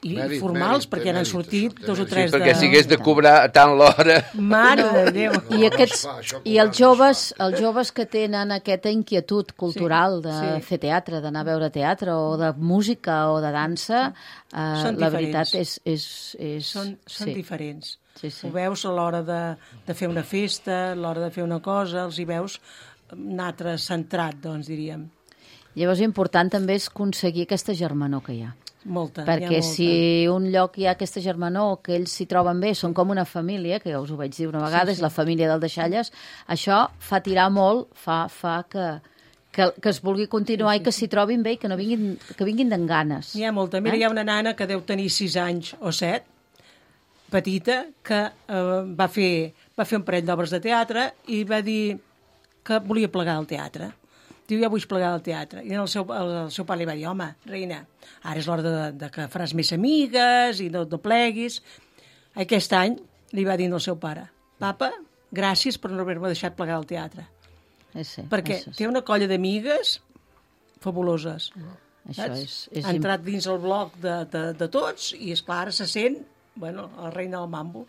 Speaker 2: i
Speaker 8: Mèrit,
Speaker 2: formals,
Speaker 8: mèrit,
Speaker 2: perquè
Speaker 8: té
Speaker 2: n'han
Speaker 8: mèrit,
Speaker 2: sortit
Speaker 8: això, té
Speaker 2: dos o
Speaker 8: mèrit.
Speaker 2: tres
Speaker 4: Perquè
Speaker 2: de...
Speaker 4: si hagués de cobrar tant l'hora...
Speaker 2: Mare de Déu!
Speaker 8: No,
Speaker 5: I,
Speaker 8: no
Speaker 5: aquests,
Speaker 8: es fa, això
Speaker 5: I els
Speaker 8: cobrant no es
Speaker 5: joves,
Speaker 8: fa.
Speaker 5: els joves que tenen aquesta inquietud cultural de
Speaker 2: sí.
Speaker 5: fer teatre, d'anar a veure teatre, o de música o de dansa, eh,
Speaker 2: Són
Speaker 5: la
Speaker 2: diferents.
Speaker 5: veritat és... és, és
Speaker 2: Són, són
Speaker 5: sí.
Speaker 2: diferents.
Speaker 5: Sí, sí.
Speaker 2: Ho veus a l'hora de, de fer una festa, a l'hora de fer una cosa, els hi veus un altre centrat, doncs, diríem.
Speaker 5: Llavors, important també és aconseguir aquesta germanor que hi ha.
Speaker 2: Molta,
Speaker 5: Perquè
Speaker 2: hi ha molta.
Speaker 5: si un lloc hi ha aquesta germanor, que ells s'hi troben bé, són com una família, que ja us ho vaig dir una vegada, sí, sí. és la família del Deixalles, això fa tirar molt, fa, fa que, que, que es vulgui continuar sí, sí, i que s'hi trobin bé i que, no vinguin, que vinguin d'en ganes.
Speaker 2: N'hi ha molta. Mira,
Speaker 5: Eh?
Speaker 2: hi ha una nana que deu tenir sis anys o set, petita, que eh, va, fer, va fer un parell d'obres de teatre i va dir que volia plegar al teatre. Diu, ja vull plegar al teatre. I el seu, el, el seu pare li va dir, home, reina, ara és l'hora de, de que faràs més amigues i no, no pleguis. Aquest any li va dir al seu pare, papa, gràcies per no haver-me deixat plegar al teatre.
Speaker 5: Eh, sí,
Speaker 2: Perquè
Speaker 5: això,
Speaker 2: té una colla d'amigues fabuloses.
Speaker 5: això
Speaker 2: Saps?
Speaker 5: és, és
Speaker 2: Ha entrat dins el bloc de, de, de tots i, esclar, ara se sent, bueno, la reina del mambo.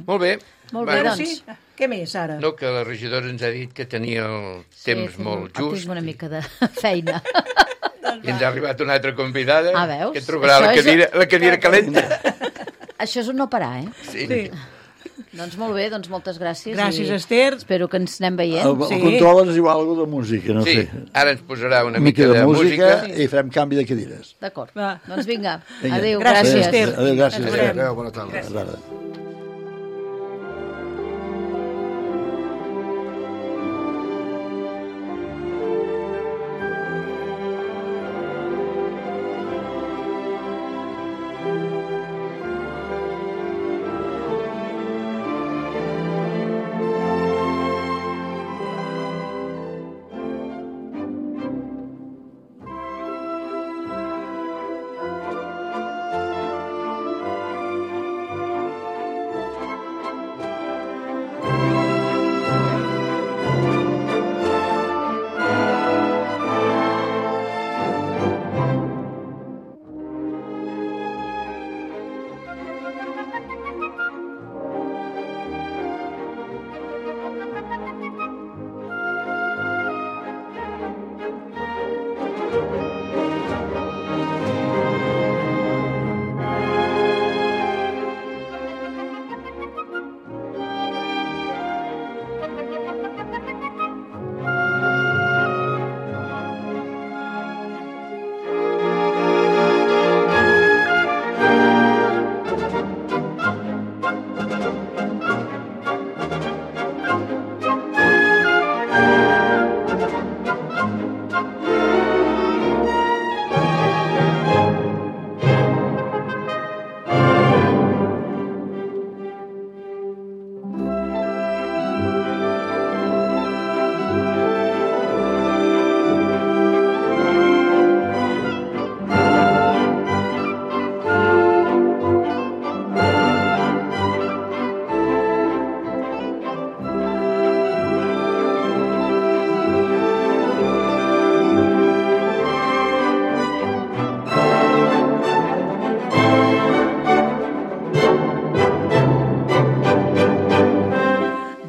Speaker 4: Molt bé.
Speaker 5: Molt bé,
Speaker 2: Ara
Speaker 5: doncs.
Speaker 2: sí? Què més, ara?
Speaker 4: No, que la regidora ens ha dit que tenia el
Speaker 5: Sí,
Speaker 4: temps
Speaker 5: tinc-
Speaker 4: molt just.
Speaker 5: Tinc una mica de feina.
Speaker 4: I ens ha arribat una altra convidada
Speaker 5: Ah, veus?
Speaker 4: que trobarà la
Speaker 5: Això és-
Speaker 4: cadira, la cadira calenta.
Speaker 5: Això és un no parar, eh?
Speaker 4: Sí.
Speaker 2: Sí.
Speaker 5: Doncs molt bé, doncs moltes gràcies.
Speaker 2: Gràcies,
Speaker 5: i
Speaker 2: Esther.
Speaker 5: Espero que ens anem veient.
Speaker 3: El, el
Speaker 2: Sí.
Speaker 3: control ens diu alguna de música, no
Speaker 4: Sí,
Speaker 3: sé.
Speaker 4: ara ens posarà una
Speaker 3: Una mica
Speaker 4: mica
Speaker 3: de música
Speaker 4: música.
Speaker 3: i farem canvi de cadires.
Speaker 5: D'acord.
Speaker 2: Va.
Speaker 5: Doncs vinga.
Speaker 3: Vinga.
Speaker 5: Adéu,
Speaker 2: Gràcies,
Speaker 5: gràcies.
Speaker 2: Esther.
Speaker 3: Adéu, gràcies.
Speaker 2: Ens veurem.
Speaker 8: Adéu, bona tarda.
Speaker 3: Bona tarda.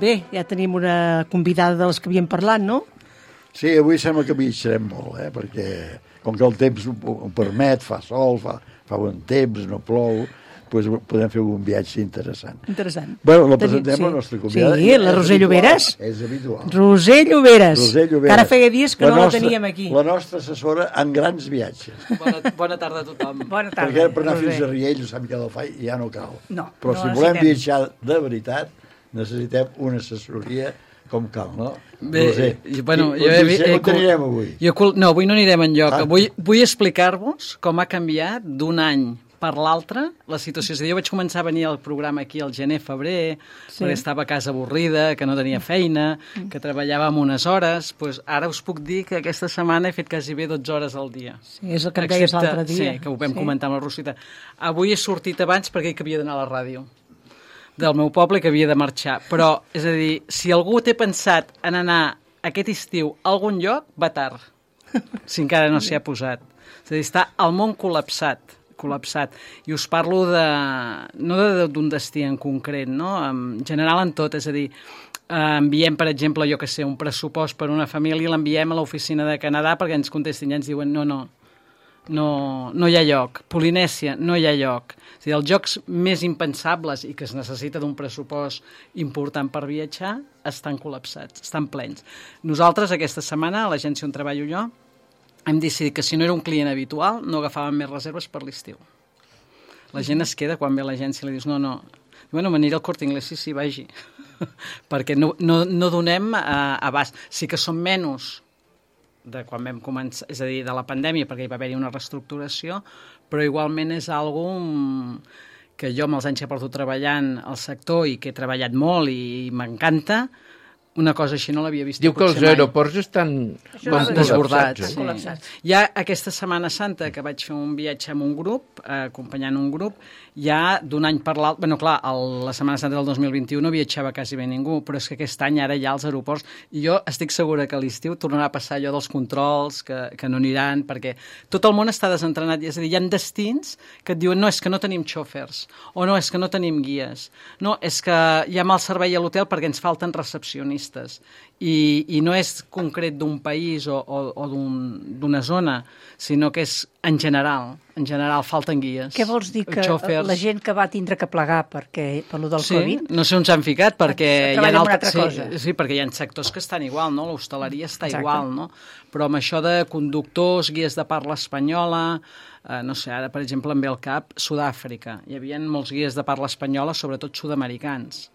Speaker 2: bé, ja tenim una convidada de les que havíem parlat, no?
Speaker 3: Sí, avui sembla que viatjarem molt, eh? Perquè com que el temps ho, ho permet, fa sol, fa, fa bon temps, no plou, doncs podem fer un viatge interessant.
Speaker 2: Interessant.
Speaker 3: Bueno, la presentem,
Speaker 2: Tenim, sí.
Speaker 3: la nostra convidada.
Speaker 2: Sí, la Roser Lloberes.
Speaker 3: És habitual.
Speaker 2: Roser Lloberes.
Speaker 3: Roser Lloberes.
Speaker 2: Que ara feia dies que
Speaker 3: la
Speaker 2: no
Speaker 3: nostra,
Speaker 2: la teníem aquí.
Speaker 3: La nostra assessora en grans viatges.
Speaker 9: Bona, bona tarda a tothom.
Speaker 6: Bona tarda.
Speaker 3: Perquè per anar
Speaker 6: Roser.
Speaker 3: fins a Riells o Sant Miquel del Fai ja no cal.
Speaker 6: No,
Speaker 3: Però
Speaker 6: no
Speaker 3: si volem
Speaker 6: necessitem.
Speaker 3: viatjar de veritat, necessitem una assessoria com cal, no?
Speaker 9: Bé,
Speaker 3: Roser,
Speaker 9: i, bueno,
Speaker 3: qui-
Speaker 9: jo
Speaker 3: on,
Speaker 9: he, he,
Speaker 3: on anirem avui?
Speaker 9: Jo, cul- no, avui no anirem enlloc.
Speaker 3: Ah.
Speaker 9: Avui vull explicar-vos com ha canviat d'un any per l'altre la situació. És a dir, jo vaig començar a venir al programa aquí al gener-febrer, sí. perquè estava a casa avorrida, que no tenia feina, que treballava amb unes hores. Pues ara us puc dir que aquesta setmana he fet quasi bé dotze hores al dia.
Speaker 2: Sí, és el que em deies
Speaker 9: Excepte-
Speaker 2: l'altre dia.
Speaker 9: Sí, que ho vam
Speaker 2: Sí.
Speaker 9: comentar amb la Rosita. Avui he sortit abans perquè que havia d'anar a la ràdio del meu poble, que havia de marxar. Però, és a dir, si algú té pensat en anar aquest estiu a algun lloc, va tard, si encara no s'hi ha posat. És a dir, està el món col·lapsat, col·lapsat. I us parlo de, no de- d'un destí en concret, no? En general en tot, és a dir, eh, enviem, per exemple, jo que sé, un pressupost per una família, l'enviem a l'oficina de Canadà perquè ens contestin i ens diuen no, no, no, no hi ha lloc. Polinèsia, no hi ha lloc. És a dir, els jocs més impensables i que es necessita d'un pressupost important per viatjar estan col·lapsats, estan plens. Nosaltres, aquesta setmana, a l'agència on treballo jo, hem decidit que si no era un client habitual no agafàvem més reserves per l'estiu. La gent es queda quan ve a l'agència i li dius no, no, bueno, m'aniré al Corte Inglés, sí, sí, vagi. Perquè no, no, no donem uh, abast. Sí que són menys de quan vam començar, és a dir, de la pandèmia, perquè hi va haver-hi una reestructuració, però igualment és algo que jo amb els anys que porto treballant al sector i que he treballat molt i m'encanta, una cosa així no l'havia vist.
Speaker 4: Diu que els
Speaker 9: potser mai.
Speaker 4: aeroports estan
Speaker 6: Això
Speaker 4: com
Speaker 6: és
Speaker 9: desbordats.
Speaker 4: col·lapsats,
Speaker 6: Estan
Speaker 9: Sí.
Speaker 6: col·lapsats.
Speaker 9: Ja aquesta Setmana Santa, que vaig fer un viatge amb un grup, eh, acompanyant un grup, ja d'un any per l'altre... Bueno, clar, el, la Setmana Santa del dos mil vint-i-u no viatjava quasi bé ningú, però és que aquest any ara ja als aeroports... I jo estic segura que a l'estiu tornarà a passar allò dels controls, que, que no aniran, perquè tot el món està desentrenat. És a dir, hi ha destins que et diuen no, és que no tenim xòfers, o no, és que no tenim guies, no, és que hi ha mal servei a l'hotel perquè ens falten recepcionistes. I, i no és concret d'un país o, o, o d'una zona, sinó que és en general. En general, falten guies.
Speaker 6: Què vols dir? Que
Speaker 9: Xòfers.
Speaker 6: la gent que va tindre que plegar perquè, per lo del
Speaker 9: Sí,
Speaker 6: Covid...
Speaker 9: no sé on s'han ficat, perquè hi ha,
Speaker 6: Treballen en una
Speaker 9: altres,
Speaker 6: altra
Speaker 9: sí,
Speaker 6: cosa.
Speaker 9: sí, perquè hi ha sectors que estan igual, no? L'hostaleria està
Speaker 6: Exacte.
Speaker 9: igual, no? Però amb això de conductors, guies de parla espanyola, eh, no sé, ara, per exemple, em ve al cap Sud-àfrica. Hi havia molts guies de parla espanyola, sobretot sud-americans.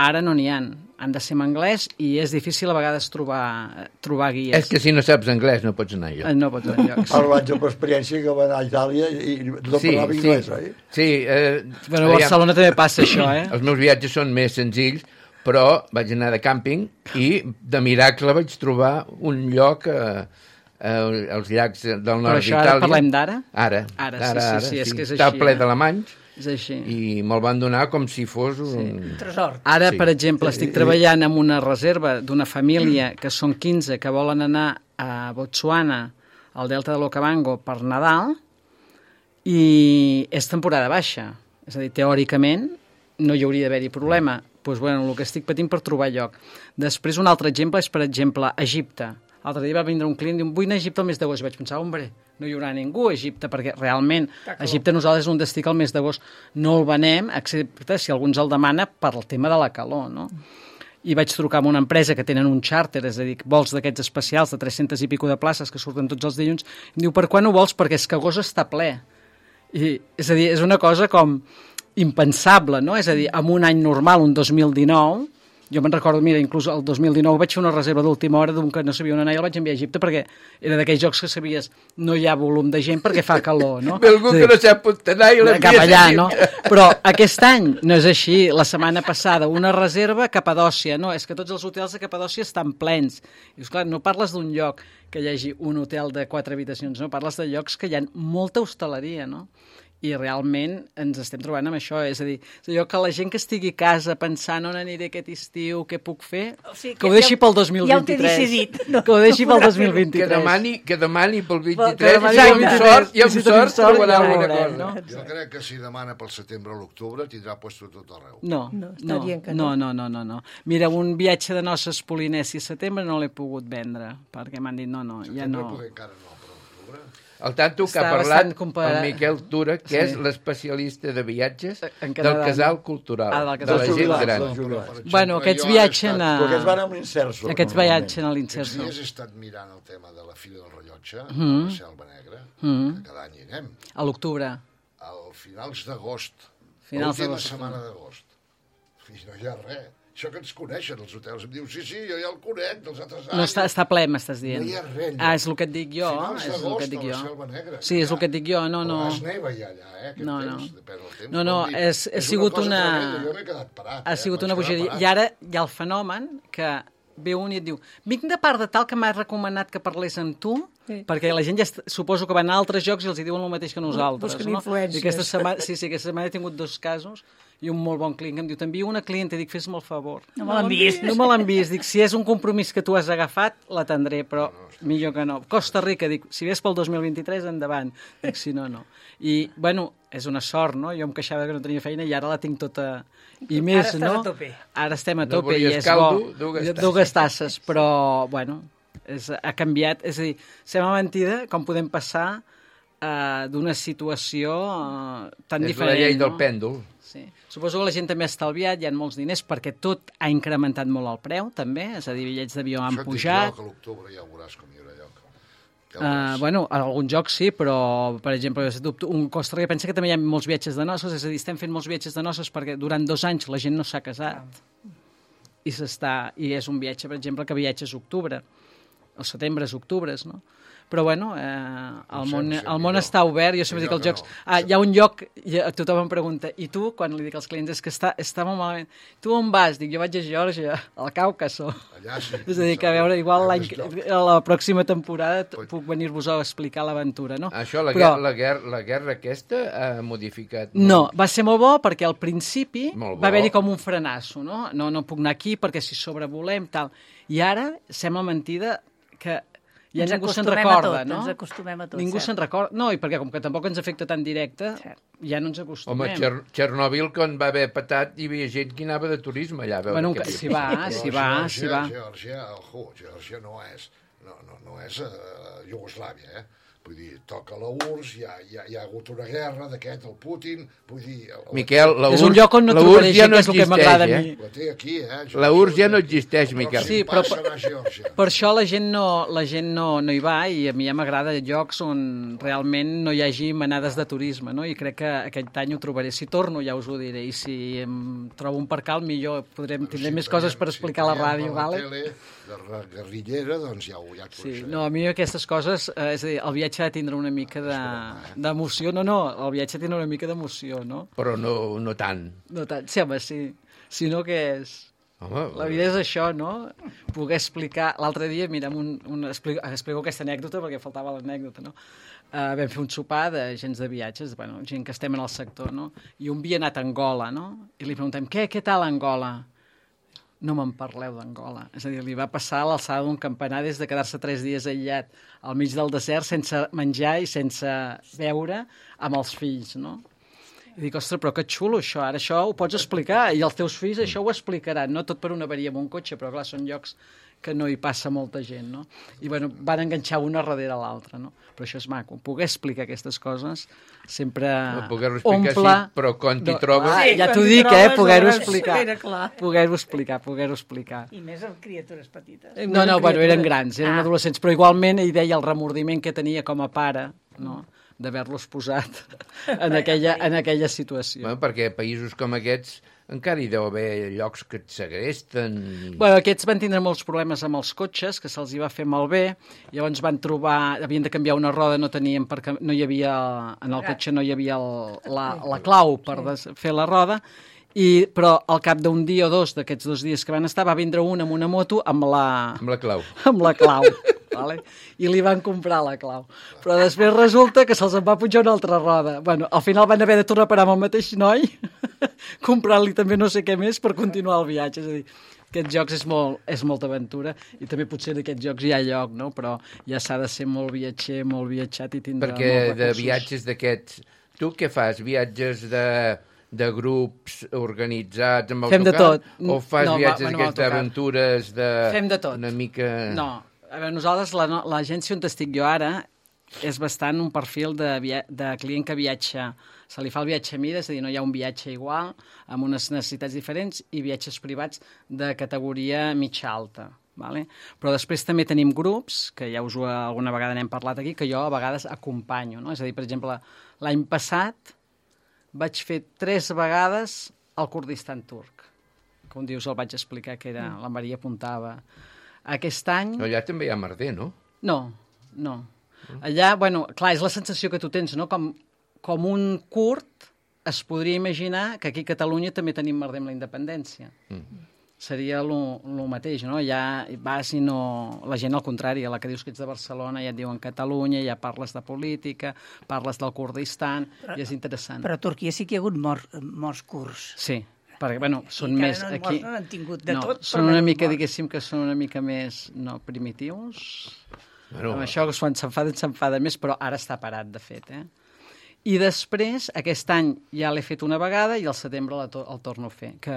Speaker 9: Ara no n'hi ha. Han de ser en anglès i és difícil a vegades trobar, trobar guies.
Speaker 4: És que si no saps anglès no pots anar
Speaker 9: Eh,
Speaker 4: allò.
Speaker 9: No pots anar enlloc.
Speaker 3: Parlant jo per experiència que va anar a Itàlia i tothom
Speaker 4: Sí,
Speaker 3: parlava
Speaker 4: sí.
Speaker 3: anglès, oi?
Speaker 4: Sí, eh,
Speaker 9: Bueno, a Barcelona també passa això, eh?
Speaker 4: els meus viatges són més senzills, però vaig anar de càmping i de miracle vaig trobar un lloc eh, eh, als llacs del
Speaker 9: Però
Speaker 4: nord
Speaker 9: això ara
Speaker 4: d'Itàlia.
Speaker 9: parlem d'ara?
Speaker 4: Ara,
Speaker 9: Ara, sí, sí, sí, és que és
Speaker 4: Està
Speaker 9: així,
Speaker 4: ple
Speaker 9: eh?
Speaker 4: d'alemanys
Speaker 9: És així.
Speaker 4: i me'l van donar com si fos un...
Speaker 6: Un tresor.
Speaker 9: Ara,
Speaker 4: Sí.
Speaker 9: per exemple, estic treballant amb una reserva d'una família que són quinze que volen anar a Botswana, al Delta de l'Okavango, per Nadal, i és temporada baixa. És a dir, teòricament, no hi hauria d'haver-hi problema. Doncs, pues, bueno, el que estic patint per trobar lloc. Després, un altre exemple és, per exemple, Egipte. L'altre dia va vindre un client i diu, vull anar a Egipte al mes d'agost. I vaig pensar, hombre, no hi haurà ningú a Egipte, perquè realment Egipte nosaltres és un destí que al mes d'agost no el venem, excepte si algú ens el demana per el tema de la calor, no? I vaig trucar amb una empresa que tenen un xàrter, és a dir, vols d'aquests especials de tres-centes i pico de places que surten tots els dilluns, i diu, per quan ho vols? Perquè és que agost està ple. I, és a dir, és una cosa com impensable, no? És a dir, en un any normal, un dos mil dinou, jo me'n recordo, mira, inclús el dos mil dinou vaig fer una reserva d'última hora d'un que no sabia on anar i el vaig enviar a Egipte perquè era d'aquells jocs que sabies no hi ha volum de gent perquè fa calor, no?
Speaker 4: Ve algú
Speaker 9: Sí.
Speaker 4: que no sap on anar i l'envies
Speaker 9: Cap allà,
Speaker 4: a
Speaker 9: no? Però aquest any no és així. La setmana passada, una reserva a Capadòcia. No, és que tots els hotels de Capadòcia estan plens. I, esclar, no parles d'un lloc que hi hagi un hotel de quatre habitacions, no? Parles de llocs que hi ha molta hostaleria, no? i realment ens estem trobant amb això, és a dir, és allò que la gent que estigui a casa pensant on aniré aquest estiu, què puc fer,
Speaker 6: O sigui,
Speaker 9: que ho deixi pel dos mil
Speaker 6: ja ho té
Speaker 9: vint-i-tres.
Speaker 6: decidit. No,
Speaker 9: que ho deixi
Speaker 6: no
Speaker 9: pel
Speaker 6: podrà
Speaker 9: dos mil
Speaker 4: Que
Speaker 9: vint-i-tres.
Speaker 4: demani, que demani pel
Speaker 9: Que
Speaker 4: vint-i-tres,
Speaker 9: demani
Speaker 4: i
Speaker 9: pel
Speaker 4: amb
Speaker 9: vint-i-tres,
Speaker 4: sort, i amb
Speaker 9: si tenim
Speaker 4: sort
Speaker 9: sort,
Speaker 4: trobarà
Speaker 9: ja
Speaker 4: alguna
Speaker 9: veurem,
Speaker 4: cosa.
Speaker 9: no?
Speaker 8: Jo crec que si demana pel setembre o l'octubre tindrà puesto tot arreu.
Speaker 9: No,
Speaker 6: No, està
Speaker 9: no,
Speaker 6: dient que
Speaker 9: no,
Speaker 6: no.
Speaker 9: no, no, no. Mira, un viatge de noces Polinèsia a setembre no l'he pogut vendre, perquè m'han dit no, no, ja
Speaker 8: Setembre
Speaker 9: no.
Speaker 8: poder encara no, però l'octubre...
Speaker 4: El tanto que ha
Speaker 9: Està
Speaker 4: parlat
Speaker 9: bastant comparat.
Speaker 4: el Miquel Tura, que
Speaker 9: Sí.
Speaker 4: és l'especialista de viatges
Speaker 9: En
Speaker 4: del
Speaker 9: Canadà,
Speaker 4: casal
Speaker 9: no?
Speaker 4: cultural,
Speaker 9: Ah, del
Speaker 4: de
Speaker 9: casal
Speaker 4: la gent
Speaker 3: cultural.
Speaker 4: gran.
Speaker 3: Dels jubilats.
Speaker 8: Per exemple,
Speaker 9: Bueno, aquests
Speaker 8: jo ara he
Speaker 9: viatgen
Speaker 8: estat-
Speaker 9: a...
Speaker 3: Perquè es van amb l'inserso.
Speaker 9: Aquests
Speaker 3: normalment.
Speaker 9: viatgen a
Speaker 8: Aquests
Speaker 9: l'inserso.
Speaker 8: dies he estat mirant el tema de la Fira del Rellotge,
Speaker 9: Mm.
Speaker 8: a la Selva Negra,
Speaker 9: Mm.
Speaker 8: que cada any hi anem,
Speaker 9: A l'octubre.
Speaker 8: al finals d'agost,
Speaker 9: Finals
Speaker 8: l'última
Speaker 9: d'agost.
Speaker 8: setmana d'agost. I no hi ha res. Això que ens coneixen, els hotels. Em diu, sí, sí, jo ja el conec, dels altres anys.
Speaker 9: No, està, està ple, m'estàs dient.
Speaker 8: No hi ha res,
Speaker 9: Ah, és el que et dic jo.
Speaker 8: Finals
Speaker 9: És el que
Speaker 8: d'agost
Speaker 9: et dic
Speaker 8: a la
Speaker 9: jo.
Speaker 8: Selva Negra.
Speaker 9: Sí, és el que et dic jo. No, no.
Speaker 8: Però es neva ja allà, eh, aquest
Speaker 9: No, no.
Speaker 8: temps, depèn del temps.
Speaker 9: No, no,
Speaker 8: Vol dir,
Speaker 9: és, ha
Speaker 8: és
Speaker 9: sigut
Speaker 8: cosa
Speaker 9: una...
Speaker 8: tremenda, jo m'he quedat parat,
Speaker 9: Ha
Speaker 8: eh,
Speaker 9: sigut
Speaker 8: vaig
Speaker 9: una
Speaker 8: quedar
Speaker 9: bogeria.
Speaker 8: parat.
Speaker 9: I ara hi ha el fenomen que ve un i et diu vinc de part de tal que m'ha recomanat que parlés amb tu,
Speaker 6: Sí.
Speaker 9: perquè la gent ja est- suposo que van a altres jocs i els hi diuen el mateix que nosaltres.
Speaker 6: Busquen
Speaker 9: no?
Speaker 6: influències.
Speaker 9: I aquesta setmana, sí, sí, aquesta setmana he tingut dos casos i un molt bon client que em diu t'envio una clienta, dic fes-me el favor.
Speaker 6: No me l'han vist.
Speaker 9: No me l'han vist. Dic, si és un compromís que tu has agafat, l'atendré, però millor que no. Costa Rica, dic, si ves pel dos mil vint-i-tres, endavant. Dic, si no, no. I, bueno, és una sort, no? Jo em queixava que no tenia feina i ara la tinc tota... I més,
Speaker 6: estàs
Speaker 9: no?
Speaker 6: a tope.
Speaker 9: Ara estem a
Speaker 4: No
Speaker 9: tope i
Speaker 4: volies
Speaker 9: és
Speaker 4: caldo,
Speaker 9: bo.
Speaker 4: dues tasses.
Speaker 9: Dues tasses, però, bueno, és, ha canviat. És a dir, sembla mentida com podem passar uh, d'una situació uh, tan
Speaker 4: És
Speaker 9: diferent.
Speaker 4: la llei
Speaker 9: no?
Speaker 4: del pèndol.
Speaker 9: Sí. Suposo que la gent també ha estalviat, hi ha molts diners, perquè tot ha incrementat molt el preu, també, és a dir, bitllets d'avió han
Speaker 8: Això et dic
Speaker 9: pujat.
Speaker 8: jo, que a l'octubre ja veuràs com hi haurà lloc. Ja
Speaker 9: Uh,
Speaker 8: veuràs.
Speaker 9: bueno, a algun joc sí, però, per exemple, un Costa Rica pensa que també hi ha molts viatges de noces, és a dir, estem fent molts viatges de noces perquè durant dos anys la gent no s'ha casat. I s'està, i és un viatge, per exemple, que viatges octubre, o setembre, octubre, no? Però, bueno, eh, el,
Speaker 8: sé,
Speaker 9: món,
Speaker 8: no sé,
Speaker 9: el món
Speaker 8: millor.
Speaker 9: està obert, jo sempre dic
Speaker 8: Millor
Speaker 9: als jocs...
Speaker 8: que no.
Speaker 9: Ah, hi ha un lloc, i tothom em pregunta, i tu, quan li dic als clients, és que està, està molt malament. Tu on vas? Dic, jo vaig a Geòrgia, al Caucaso.
Speaker 8: Allà sí.
Speaker 9: És a dir, que a veure, igual
Speaker 8: Hi ha
Speaker 9: l'any,
Speaker 8: més llocs.
Speaker 9: a la pròxima temporada t- puc venir-vos a explicar l'aventura, no?
Speaker 4: Això, la,
Speaker 9: Però,
Speaker 4: guerra, la, guerra, la guerra aquesta ha modificat...
Speaker 9: no, va ser molt bo perquè al principi
Speaker 4: Molt bo.
Speaker 9: va haver-hi com un frenasso, no? No, no puc anar aquí perquè si sobrevolem, tal. I ara sembla mentida que ja
Speaker 6: Ens
Speaker 9: ningú se'n
Speaker 6: acostumem a
Speaker 9: recorda,
Speaker 6: tot,
Speaker 9: no?
Speaker 6: ens acostumem a tot,
Speaker 9: Ningú
Speaker 6: cert.
Speaker 9: se'n recorda. No, i perquè com que tampoc ens afecta tan directe,
Speaker 6: Cert.
Speaker 9: ja no ens
Speaker 4: Home,
Speaker 9: acostumem.
Speaker 4: Txer Txernòbil, quan va haver patat, hi havia gent que anava de turisme allà a veure
Speaker 9: Bueno,
Speaker 4: què
Speaker 9: que
Speaker 4: havia
Speaker 9: s'hi va,
Speaker 4: passat.
Speaker 9: s'hi
Speaker 8: Però
Speaker 9: va,
Speaker 8: Geòrgia-
Speaker 9: s'hi va.
Speaker 8: Geòrgia, ojo, Geòrgia no és, no, no, no és uh, Iugoslàvia, eh? Vull dir, toca la U R S S, hi ha, hi ha, hi ha hagut una guerra d'aquest, el Putin, vull dir... El,
Speaker 4: Miquel, la
Speaker 9: És un
Speaker 4: U R S S
Speaker 9: lloc on no
Speaker 4: la U R S S
Speaker 9: trobaré
Speaker 4: ja
Speaker 9: gent,
Speaker 4: no
Speaker 9: que és el que m'agrada a
Speaker 4: existeix,
Speaker 9: mi.
Speaker 4: eh?
Speaker 8: La té aquí, eh?
Speaker 4: La U R S S ja no existeix, Miquel.
Speaker 9: Sí, però-
Speaker 8: Passa a Geòrgia.
Speaker 9: Per això la gent no, la gent no, no hi va i a mi ja m'agrada llocs on realment no hi hagi manades de turisme, no? I crec que aquest any ho trobaré. Si torno ja us ho diré i si em trobo un percal millor podrem tindré més coses per explicar a la ràdio,
Speaker 8: si
Speaker 9: vale?
Speaker 8: Tele, de ra- guerrillera, doncs ja ho, ja et
Speaker 9: Sí,
Speaker 8: coneixeré.
Speaker 9: no, a mi aquestes coses, eh, és a dir, el viatge ha de tindre una mica de, d'emoció, no, no, el viatge ha de tindre una mica d'emoció, no?
Speaker 4: Però no, no tant.
Speaker 9: No tant, sí, home, sí. Si no, què és?
Speaker 4: Home,
Speaker 9: La vida és això, no? Poder explicar... L'altre dia, mira, amb un, un, explico, explico aquesta anècdota perquè faltava l'anècdota, no? Uh, vam fer un sopar de gens de viatges, bueno, gent que estem en el sector, no? I un havia anat a Angola, no? I li preguntem, què, què tal Angola? No me'n parleu d'Angola. És a dir, li va passar a l'alçada d'un campanar des de quedar-se tres dies aïllat al mig del desert sense menjar i sense beure amb els fills, no? I dic, ostres, però que xulo això, ara això ho pots explicar i els teus fills això ho explicaran, no tot per una avaria amb un cotxe, però clar, són llocs que no hi passa molta gent, no? I bueno, van enganxar una darrere l'altra, no? Però això és maco, poder explicar aquestes coses sempre
Speaker 4: No, poder-ho explicar
Speaker 9: omple...
Speaker 4: sí, però quan t'hi
Speaker 9: No,
Speaker 4: trobes-
Speaker 9: ah,
Speaker 6: Sí,
Speaker 9: ja
Speaker 6: quan
Speaker 9: t'ho
Speaker 6: t'hi
Speaker 9: dic, eh?
Speaker 6: trobes,
Speaker 9: Poder-ho
Speaker 6: aleshores
Speaker 9: explicar.
Speaker 6: era clar.
Speaker 9: Poder-ho explicar, poder-ho explicar.
Speaker 6: I més amb criatures petites.
Speaker 9: No, no, bueno, eren grans, eren
Speaker 6: Ah.
Speaker 9: adolescents, però igualment ell deia el remordiment que tenia com a pare, no?, d'haver-los posat en aquella, en aquella situació.
Speaker 4: Bueno, perquè a països com aquests encara hi deu haver llocs que et segresten.
Speaker 9: Bueno, aquests van tindre molts problemes amb els cotxes, que se'ls hi va fer malbé, llavors van trobar, havien de canviar una roda, no tenien perquè no hi havia, en el cotxe no hi havia el, la, la clau per des, fer la roda, i, però al cap d'un dia o dos d'aquests dos dies que van estar va vindre un amb una moto amb la,
Speaker 4: Amb la clau.
Speaker 9: amb la clau. vale? I li van comprar la clau. Però després resulta que se'ls en va pujar una altra roda. Bueno, al final van haver de tornar a parar amb el mateix noi, comprar-li també no sé què més per continuar el viatge. És a dir, aquests jocs és, molt, és molta aventura i també potser en aquests jocs hi ha lloc, no? Però ja s'ha de ser molt viatger, molt viatjat i tindre
Speaker 4: Perquè
Speaker 9: molts recursos.
Speaker 4: de viatges d'aquests... Tu què fas? Viatges de, de grups organitzats amb
Speaker 9: Fem de
Speaker 4: autocar?
Speaker 9: tot.
Speaker 4: O fas
Speaker 9: No,
Speaker 4: viatges
Speaker 9: va- bueno,
Speaker 4: d'aquestes
Speaker 9: autocar.
Speaker 4: aventures de...
Speaker 9: Fem de tot.
Speaker 4: Una mica...
Speaker 9: No, a veure, nosaltres, la- l'agència on estic jo ara, és bastant un perfil de, via de client que viatja, se li fa el viatge a mida, és a dir, no hi ha un viatge igual, amb unes necessitats diferents, i viatges privats de categoria mitja alta. Vale? Però després també tenim grups, que ja us ho, alguna vegada n'hem parlat aquí, que jo a vegades acompanyo. No? És a dir, per exemple, l'any passat vaig fer tres vegades al Kurdistan turc, que un dia us el vaig explicar, que era, la Maria apuntava. Aquest any...
Speaker 4: No, allà també hi ha merder, no?
Speaker 9: No, no. Allà, bueno, clar, és la sensació que tu tens, no? Com, com un kurd es podria imaginar que aquí a Catalunya també tenim merder amb la independència. Mm. Seria el mateix, no? Ja vas i no... La gent, al contrari, a la que dius que ets de Barcelona ja et diuen Catalunya, ja parles de política, parles del Kurdistan, però, i és interessant.
Speaker 6: Però a Turquia sí que hi ha hagut mor, morts curts.
Speaker 9: Sí, perquè, bueno, són
Speaker 6: I
Speaker 9: més...
Speaker 6: no
Speaker 9: aquí...
Speaker 6: no han tingut de
Speaker 9: no,
Speaker 6: tot.
Speaker 9: Són una mica, diguéssim, que són una mica més, no, primitius.
Speaker 4: Bueno,
Speaker 9: amb això, quan s'enfaden, s'enfaden més, però ara està parat, de fet, eh? I després, aquest any ja l'he fet una vegada i al setembre el, to el torno a fer, que,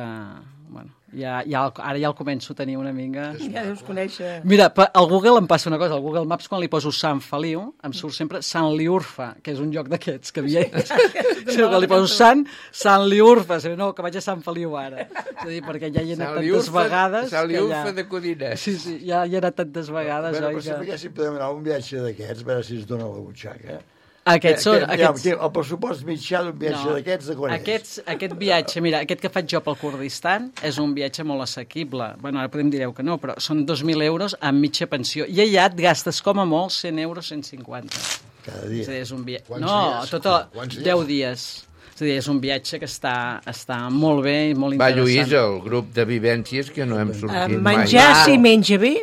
Speaker 9: bueno, ja, ja, ara ja el començo a tenir una mica...
Speaker 6: Ja deus conèixer...
Speaker 9: Mira, al Google em passa una cosa, al Google Maps, quan li poso Sant Feliu, em surt sempre Sant Liurfa, que és un joc d'aquests que havia... sí, quan li poso Sant, Sant Liurfa, no, que vaig a Sant Feliu ara. És a dir, perquè ja hi he anat tantes vegades...
Speaker 4: Sant Liurfa
Speaker 9: ja...
Speaker 4: de Codines.
Speaker 9: Sí, sí, ja hi he anat tantes vegades,
Speaker 3: bueno,
Speaker 9: oi?
Speaker 3: Però sempre que si podem anar a un viatge d'aquests, a veure si es dona la butxaca.
Speaker 9: Aquests són...
Speaker 3: Que,
Speaker 9: Aquests...
Speaker 3: ja, el pressupost mitjà d'un viatge no, d'aquests de quan
Speaker 9: aquests, aquest viatge, mira, aquest que faig jo pel Kurdistan és un viatge molt assequible. Bueno, ara podem dir que no, però són dos mil euros amb mitja pensió. I allà et gastes com a molt cent euros, cent cinquanta.
Speaker 3: Cada dia.
Speaker 9: És a dir, és un via...
Speaker 8: Quants
Speaker 9: no,
Speaker 8: dies?
Speaker 9: tot el... deu dies. És a dir, és un viatge que està, està molt bé i molt
Speaker 4: Va,
Speaker 9: interessant.
Speaker 4: Lluís, el grup de vivències que no hem sortit
Speaker 2: Uh, menjar,
Speaker 4: mai.
Speaker 2: si menja bé...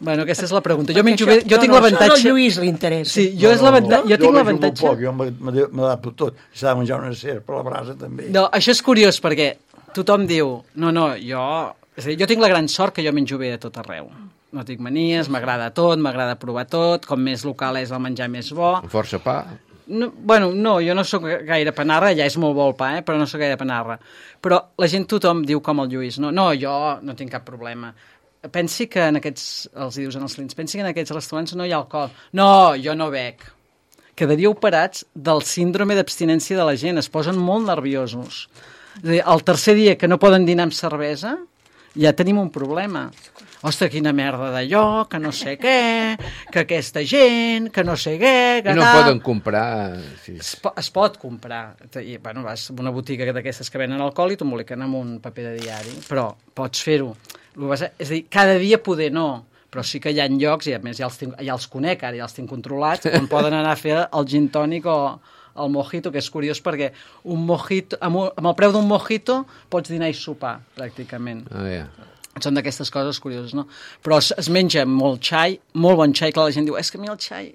Speaker 9: Bueno, aquesta és la pregunta. Jo menjo
Speaker 2: Això-
Speaker 9: bé, jo
Speaker 2: no,
Speaker 9: tinc
Speaker 2: no,
Speaker 9: l'avantatge...
Speaker 2: això no, al Lluís li interessa.
Speaker 9: Sí, jo, és l'avantatge... jo tinc
Speaker 3: menjo
Speaker 9: l'avantatge...
Speaker 3: molt poc, jo m'adapto tot. S'ha de menjar una cera per la brasa, també.
Speaker 9: No, això és curiós, perquè tothom diu, no, no, jo... És a dir, jo tinc la gran sort que jo menjo bé a tot arreu. No tinc manies, m'agrada tot, m'agrada provar tot, com més local és el menjar més bo.
Speaker 4: Força pa.
Speaker 9: No, bueno, no, jo no sóc gaire panarra, ja és molt bo el pa, eh, però no sóc gaire panarra. Però la gent, tothom diu com el Lluís, no, no, jo no tinc cap problema. Pensi que en aquests, els dius en els clients, pensi que en aquests restaurants no hi ha alcohol. No, jo no bec. Quedaríeu parats del síndrome d'abstinència de la gent, es posen molt nerviosos. És a dir, el tercer dia que no poden dinar amb cervesa, ja tenim un problema. Ostres, quina merda d'allò, que no sé què, que aquesta gent, que no sé què... Que
Speaker 4: I no
Speaker 9: tal.
Speaker 4: poden comprar... Sí.
Speaker 9: Es, po es pot comprar. I, bueno, vas a una botiga d'aquestes que venen alcohol i t'emboliquen amb un paper de diari, però pots fer-ho. És a dir, cada dia poder no, però sí que hi ha llocs, i a més ja els, tinc, ja els conec ara, ja els tinc controlats, on poden anar a fer el gin tònic o el mojito, que és curiós perquè un mojito, amb, un, amb el preu d'un mojito pots dinar i sopar, pràcticament.
Speaker 4: Ah, ja.
Speaker 9: Són d'aquestes coses curioses, no? Però es, es menja molt xai, molt bon xai, clar, la gent diu, és que a mi el xai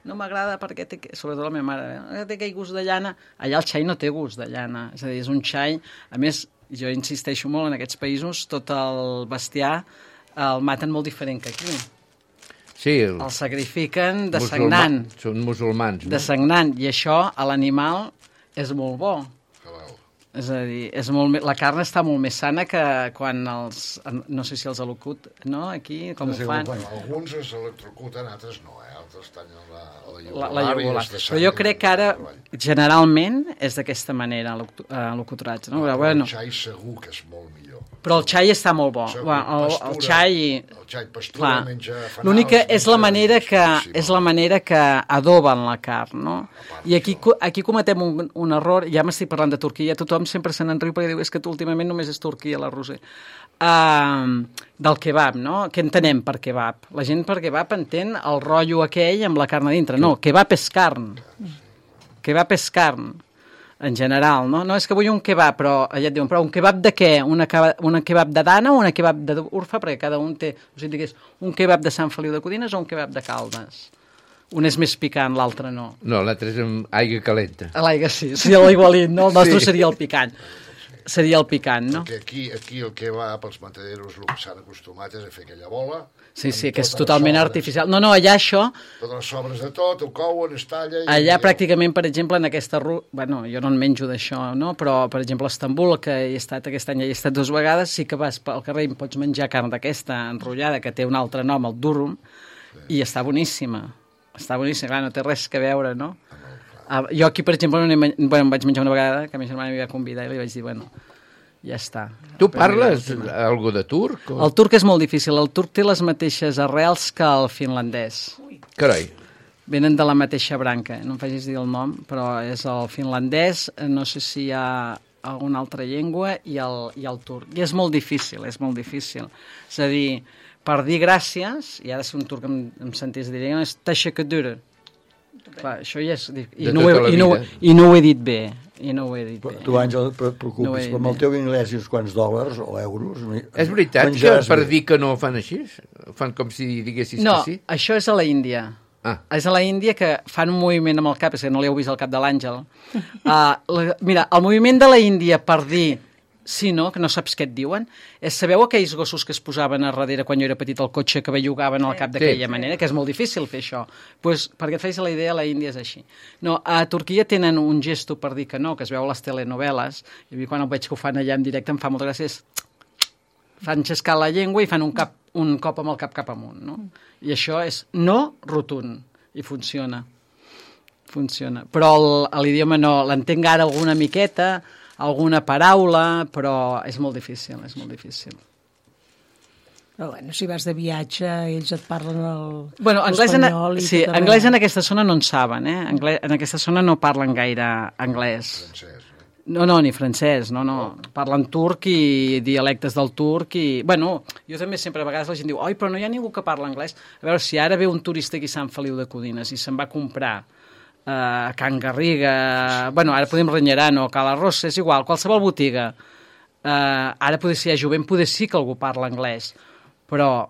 Speaker 9: no m'agrada perquè té, sobretot la meva mare, eh? té aquell gust de llana. Allà el xai no té gust de llana, és a dir, és un xai, a més, jo insisteixo molt en aquests països, tot el bestiar el maten molt diferent que aquí.
Speaker 4: Sí, el...
Speaker 9: El sacrifiquen de
Speaker 4: musulmà...
Speaker 9: sagnant.
Speaker 4: Són musulmans, no?
Speaker 9: De sagnant, i això a l'animal és molt bo. És a dir, és molt més, la carn està molt més sana que quan els... No sé si els elocut, no? Aquí, com
Speaker 3: No sé
Speaker 9: ho fan?
Speaker 3: com ho
Speaker 8: Alguns es electrocuten, altres no, eh? Altres tallen la, la
Speaker 9: La, la
Speaker 8: iogular i
Speaker 9: iogular.
Speaker 8: es de
Speaker 9: Però jo
Speaker 8: sang
Speaker 9: crec
Speaker 8: i
Speaker 9: que ara,
Speaker 8: treball.
Speaker 9: generalment, és d'aquesta manera, l'oculturatge. No? Però, bueno,
Speaker 8: El xai segur que és molt millor.
Speaker 9: però el xai està molt bo.
Speaker 8: Segur,
Speaker 9: Bueno, el, el
Speaker 8: pastura,
Speaker 9: xai...
Speaker 8: El xai pastura,
Speaker 9: Clar.
Speaker 8: menja fanals...
Speaker 9: L'únic que és la
Speaker 8: menja
Speaker 9: manera que,
Speaker 8: boníssim.
Speaker 9: és la manera que adoben la carn, no? I aquí, co- aquí cometem un, un error, ja m'estic parlant de Turquia, tothom sempre se n'enriu perquè diu és que tu últimament només és Turquia, la Roser. Uh, del kebab, no? Què entenem per kebab? La gent per kebab entén el rotllo aquell amb la carn a dintre. No, kebab és carn. Kebab és carn. en general, no? No és que vull un kebab, però ja et diuen, però un kebab de què? Una, una kebab de Dana o una kebab d'Urfa? Perquè cada un té, o sigui, digués, un kebab de Sant Feliu de Codines o un kebab de Caldes? Un és més picant, l'altre no.
Speaker 4: No, l'altre és amb aigua calenta.
Speaker 9: L'aigua sí, seria l'igualit, no? El nostre
Speaker 4: Sí.
Speaker 9: seria el picant. Seria el picant, no?
Speaker 8: Perquè aquí, aquí el que va pels mataderos, el que s'han acostumat és a fer aquella bola.
Speaker 9: Sí, sí,
Speaker 8: amb
Speaker 9: que és
Speaker 8: totes les
Speaker 9: totalment
Speaker 8: sobres.
Speaker 9: artificial. No, no, allà això,
Speaker 8: Totes les sobres de tot, ho couen, es talla... I
Speaker 9: allà
Speaker 8: i-
Speaker 9: pràcticament, per exemple, en aquesta ruta... Bueno, jo no en menjo d'això, no? Però, per exemple, a Estambul, que he estat aquest any, he estat dues vegades, sí que vas pel carrer i pots menjar carn d'aquesta enrotllada, que té un altre nom, el durum, i està boníssima. Està boníssima, clar, no té res que veure, no? Ah, jo aquí, per exemple, no men... bueno, em vaig menjar una vegada, que ma germana m'hi va convidar i li vaig dir, bueno, ja està.
Speaker 4: Tu parles algú de turc? O...
Speaker 9: El turc és molt difícil. El turc té les mateixes arrels que el finlandès.
Speaker 4: Carai.
Speaker 9: Venen de la mateixa branca. No em facis dir el nom, però és el finlandès, no sé si hi ha alguna altra llengua, i el, i el turc. I és molt difícil, és molt difícil. És a dir, per dir gràcies, i ara si un turc em, em sentís dir, és teşekkür. Clar, això ja és... I
Speaker 4: De
Speaker 9: no, ho
Speaker 4: tota la
Speaker 9: he, i, no,
Speaker 4: vida.
Speaker 9: I no ho he dit bé. I no ho he dit
Speaker 3: Però
Speaker 9: bé.
Speaker 3: tu, Àngel, et
Speaker 9: No ho
Speaker 3: preocupis,
Speaker 9: he
Speaker 3: però amb el
Speaker 9: dit
Speaker 3: teu anglès i uns quants dòlars o euros...
Speaker 4: És veritat que
Speaker 3: menjaràs
Speaker 4: per
Speaker 3: bé.
Speaker 4: dir que no ho fan així? Fan com si diguessis
Speaker 9: No,
Speaker 4: que sí?
Speaker 9: això és a la Índia.
Speaker 4: Ah.
Speaker 9: És a la Índia que fan un moviment amb el cap, és que no li heu vist el cap de l'Àngel. Uh, la, mira, el moviment de la Índia per dir sí, no, que no saps què et diuen, és, sabeu aquells gossos que es posaven a darrere quan jo era petit al cotxe que bellugaven al cap d'aquella
Speaker 4: Sí.
Speaker 9: manera, que és molt difícil fer això. Pues, perquè et facis la idea, la Índia és així. No, a Turquia tenen un gesto per dir que no, que es veu a les telenovel·les, i a mi quan ho veig que ho fan allà en directe em fa molta gràcia, és fan xescar la llengua i fan un, cap, un cop amb el cap cap amunt, no? I això és no rotund, i funciona. Funciona. Però el- a l'idioma no, l'entenc ara alguna miqueta, alguna paraula, però és molt difícil, és molt difícil.
Speaker 2: Però bueno, si vas de viatge, ells et parlen el
Speaker 9: Bueno, anglès en,
Speaker 2: l'espanyol i
Speaker 9: sí,
Speaker 2: tot
Speaker 9: anglès
Speaker 2: arreu.
Speaker 9: en aquesta zona no en saben, eh? Anglès, en aquesta zona no parlen gaire anglès.
Speaker 8: Francès, eh?
Speaker 9: No, no, ni francès, no, no. Parlen turc i dialectes del turc i... Bueno, jo també sempre a vegades la gent diu oi, però no hi ha ningú que parla anglès. A veure, si ara ve un turista aquí a Sant Feliu de Codines i se'n va comprar eh, a Can Garriga, bueno, ara podem Renyerano, Cala Rossa, és igual, qualsevol botiga. Eh, ara poder ser jovent, poder sí que algú parla anglès, però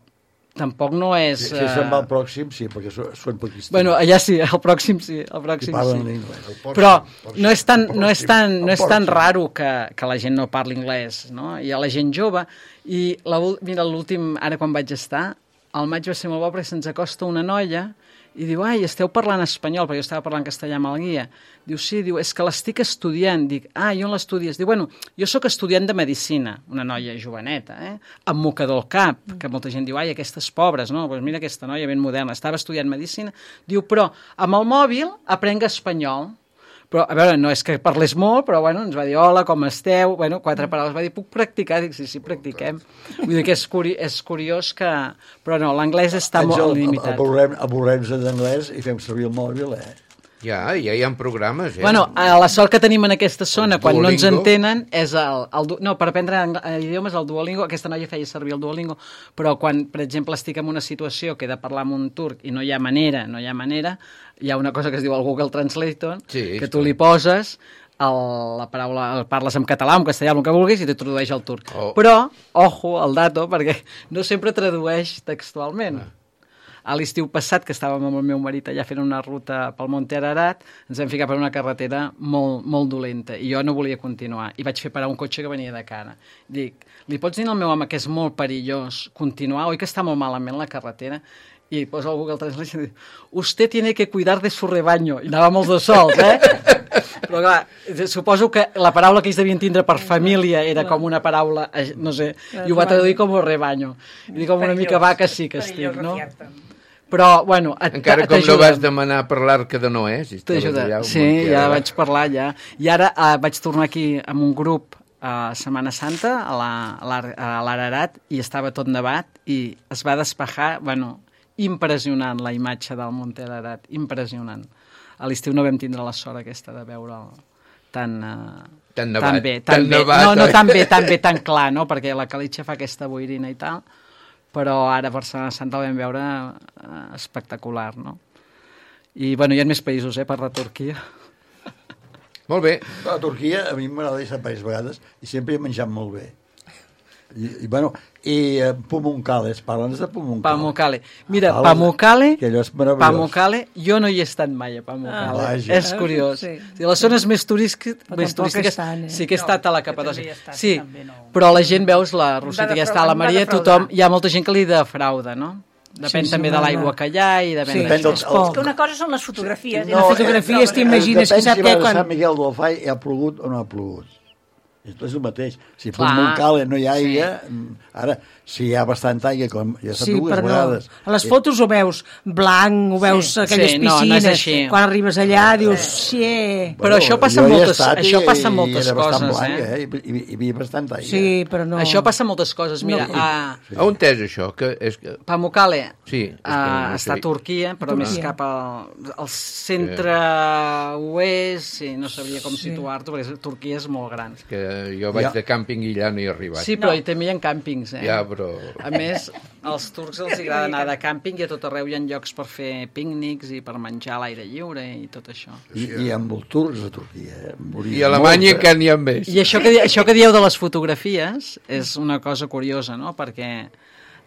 Speaker 9: tampoc no és...
Speaker 3: Si, si se'n va al
Speaker 9: eh,
Speaker 3: pròxim, sí, perquè són, són pakistanis.
Speaker 9: Bueno, allà sí, el pròxim sí, el
Speaker 3: I
Speaker 9: pròxim
Speaker 3: parlen
Speaker 9: sí.
Speaker 3: anglès.
Speaker 8: El Porsche,
Speaker 9: Però
Speaker 8: el Porsche,
Speaker 9: no és tan,
Speaker 8: el
Speaker 9: no és
Speaker 8: Porsche,
Speaker 9: tan, no
Speaker 8: el
Speaker 9: és tan
Speaker 8: Porsche.
Speaker 9: raro que, que la gent no parli anglès, no? Hi ha la gent jove i la, ul- mira, l'últim, ara quan vaig estar, al maig va ser molt bo perquè se'ns acosta una noia i diu, ai, esteu parlant espanyol, perquè jo estava parlant castellà amb el guia. Diu, sí, diu, és que l'estic estudiant. Dic, ah, i on l'estudies? Diu, bueno, jo sóc estudiant de medicina, una noia joveneta, eh? Amb mocador al cap, que molta gent diu, ai, aquestes pobres, no? Pues mira aquesta noia ben moderna, estava estudiant medicina. Diu, però amb el mòbil aprenga espanyol. Però, a veure, no és que parlés molt, però bueno, ens va dir hola, com esteu? Bueno, quatre paraules. Va dir, puc practicar? Dic, sí, sí, practiquem. Vull dir que és, curi és curiós que... Però no, l'anglès està
Speaker 3: Àngel,
Speaker 9: molt limitat.
Speaker 3: avorrem- avorrem-nos d'anglès i fem servir el mòbil, eh?
Speaker 4: Ja, ja hi ha programes, eh?
Speaker 9: Bueno, a la sort que tenim en aquesta zona,
Speaker 4: El
Speaker 9: quan no ens
Speaker 4: Duolingo.
Speaker 9: entenen, és el... el du- no, per aprendre ang- eh, idiomes, el Duolingo, aquesta noia feia servir el Duolingo, però quan, per exemple, estic en una situació que he de parlar amb un turc i no hi ha manera, no hi ha manera, hi ha una cosa que es diu el Google Translator,
Speaker 4: Sí,
Speaker 9: que tu li poses el, la paraula, el parles en català, en castellà, el que vulguis, i te tradueix al turc.
Speaker 4: Oh.
Speaker 9: Però, ojo, el dato, perquè no sempre tradueix textualment. Ah. A l'estiu passat, que estàvem amb el meu marit allà fent una ruta pel Monte Ararat, ens vam ficar per una carretera molt, molt dolenta i jo no volia continuar. I vaig fer parar un cotxe que venia de cara. Dic, li pots dir al meu home que és molt perillós continuar? Oi que està molt malament la carretera? I posa el Google Translate i diu, usted tiene que cuidar de su rebaño. I anàvem els dos sols, eh? Però clar, suposo que la paraula que ells devien tindre per família era com una paraula, eh, no sé, i ho va traduir com rebaño. I dic, com una mica vaca sí que estic, no? Però, bueno... Et,
Speaker 4: Encara com no vas demanar per l'Arca de Noé, si estaves
Speaker 9: T'ajuda.
Speaker 4: allà... al
Speaker 9: Sí,
Speaker 4: Monte
Speaker 9: ja
Speaker 4: Ararat.
Speaker 9: vaig parlar, ja. I ara eh, vaig tornar aquí amb un grup a Setmana Santa, a la- a l'Ar- a l'Ararat, i estava tot nevat, i es va despejar, bueno, impressionant la imatge del Monte Ararat, impressionant. A l'estiu no vam tindre la sort aquesta de veure'l tan... Eh,
Speaker 4: Tan nevat,
Speaker 9: tan bé,
Speaker 4: tan
Speaker 9: tan bé.
Speaker 4: nevat,
Speaker 9: No, no
Speaker 4: oi?
Speaker 9: tan bé, tan bé, tan clar, no? Perquè la calitxa fa aquesta boirina i tal, però ara per Setmana Santa el vam veure eh, espectacular, no? I, bueno, hi ha més països, eh, per la Turquia.
Speaker 4: Molt bé.
Speaker 3: A Turquia a mi m'agrada deixar diverses vegades i sempre he menjat molt bé. I, i bueno, i uh, Pamukkale, parla'ns de Pamukkale.
Speaker 9: Pamukkale. Mira,
Speaker 3: Parla'ns-
Speaker 9: Pamukkale,
Speaker 3: que allò és meravellós.
Speaker 9: Pamukkale, jo no hi he estat mai a Pamukkale.
Speaker 3: Ah, vaja.
Speaker 9: és curiós.
Speaker 6: Sí.
Speaker 9: Sí. Les zones més, turístiques,
Speaker 6: Però
Speaker 9: més
Speaker 6: tampoc
Speaker 9: turístiques
Speaker 6: estan, eh?
Speaker 9: sí que he
Speaker 6: No,
Speaker 9: estat a la
Speaker 6: jo també
Speaker 9: Capadòcia.
Speaker 6: hi he estat,
Speaker 9: Sí,
Speaker 6: també no.
Speaker 9: però la gent, veus, la Rosita
Speaker 6: Em va
Speaker 9: que està a la
Speaker 6: defraudar, em va
Speaker 9: Maria,
Speaker 6: defraudar.
Speaker 9: tothom, hi ha molta gent que li defrauda, no? Depèn
Speaker 2: Sí, sí,
Speaker 9: també de
Speaker 2: va,
Speaker 9: l'aigua
Speaker 2: va.
Speaker 9: que hi ha i depèn
Speaker 2: Sí,
Speaker 9: d'això.
Speaker 3: depèn del-
Speaker 2: és poc.
Speaker 6: Que una cosa són les fotografies. i
Speaker 2: No,
Speaker 6: les
Speaker 2: fotografies t'imagines
Speaker 3: Depèn
Speaker 2: que sap
Speaker 3: si
Speaker 2: què
Speaker 3: vas a
Speaker 2: quan...
Speaker 3: Sant Miquel del Fai ha plogut o no ha plogut. És el mateix. Si
Speaker 9: Clar.
Speaker 3: per Montcale no hi ha aigua, sí. Ara, si hi ha bastant aigua, com ja s'ha
Speaker 2: Sí,
Speaker 3: dues
Speaker 2: però no.
Speaker 3: vegades...
Speaker 2: A les fotos ho veus blanc, ho veus
Speaker 6: Sí.
Speaker 2: aquelles
Speaker 9: Sí, no,
Speaker 2: piscines.
Speaker 9: no és així.
Speaker 2: Quan arribes allà dius, sí,
Speaker 9: Però això passa
Speaker 3: jo hi he
Speaker 9: moltes-
Speaker 3: estat
Speaker 9: això
Speaker 3: i-
Speaker 9: passa
Speaker 3: i
Speaker 9: moltes
Speaker 3: era bastant
Speaker 9: coses,
Speaker 3: blanc,
Speaker 9: eh?
Speaker 3: eh? I, i, hi havia bastant aigua.
Speaker 2: sí, però no...
Speaker 9: Això passa moltes coses. Mira,
Speaker 2: No.
Speaker 9: a
Speaker 4: A on és això? Que és que...
Speaker 9: Pamukkale
Speaker 4: Sí, és que
Speaker 9: uh,
Speaker 4: no
Speaker 9: està a
Speaker 4: sé.
Speaker 9: Turquia, però
Speaker 2: Turquia.
Speaker 9: més cap al, al centre-oest, sí, no sabria com
Speaker 2: Sí.
Speaker 9: situar-t'ho, perquè Turquia és molt gran.
Speaker 4: que jo vaig
Speaker 3: Ja.
Speaker 4: de càmping i allà no hi he arribat.
Speaker 9: Sí, però no. Hi també hi ha càmpings, eh?
Speaker 4: Ja, però...
Speaker 9: A més, als turcs els agrada anar de càmping i a tot arreu hi ha llocs per fer pícnics i per menjar a l'aire lliure i tot això.
Speaker 3: I, i amb els turcs a Turquia. Eh?
Speaker 4: I a Alemanya
Speaker 3: Molt,
Speaker 4: encara n'hi ha més.
Speaker 9: I això que, di- això que dieu de les fotografies és una cosa curiosa, no? Perquè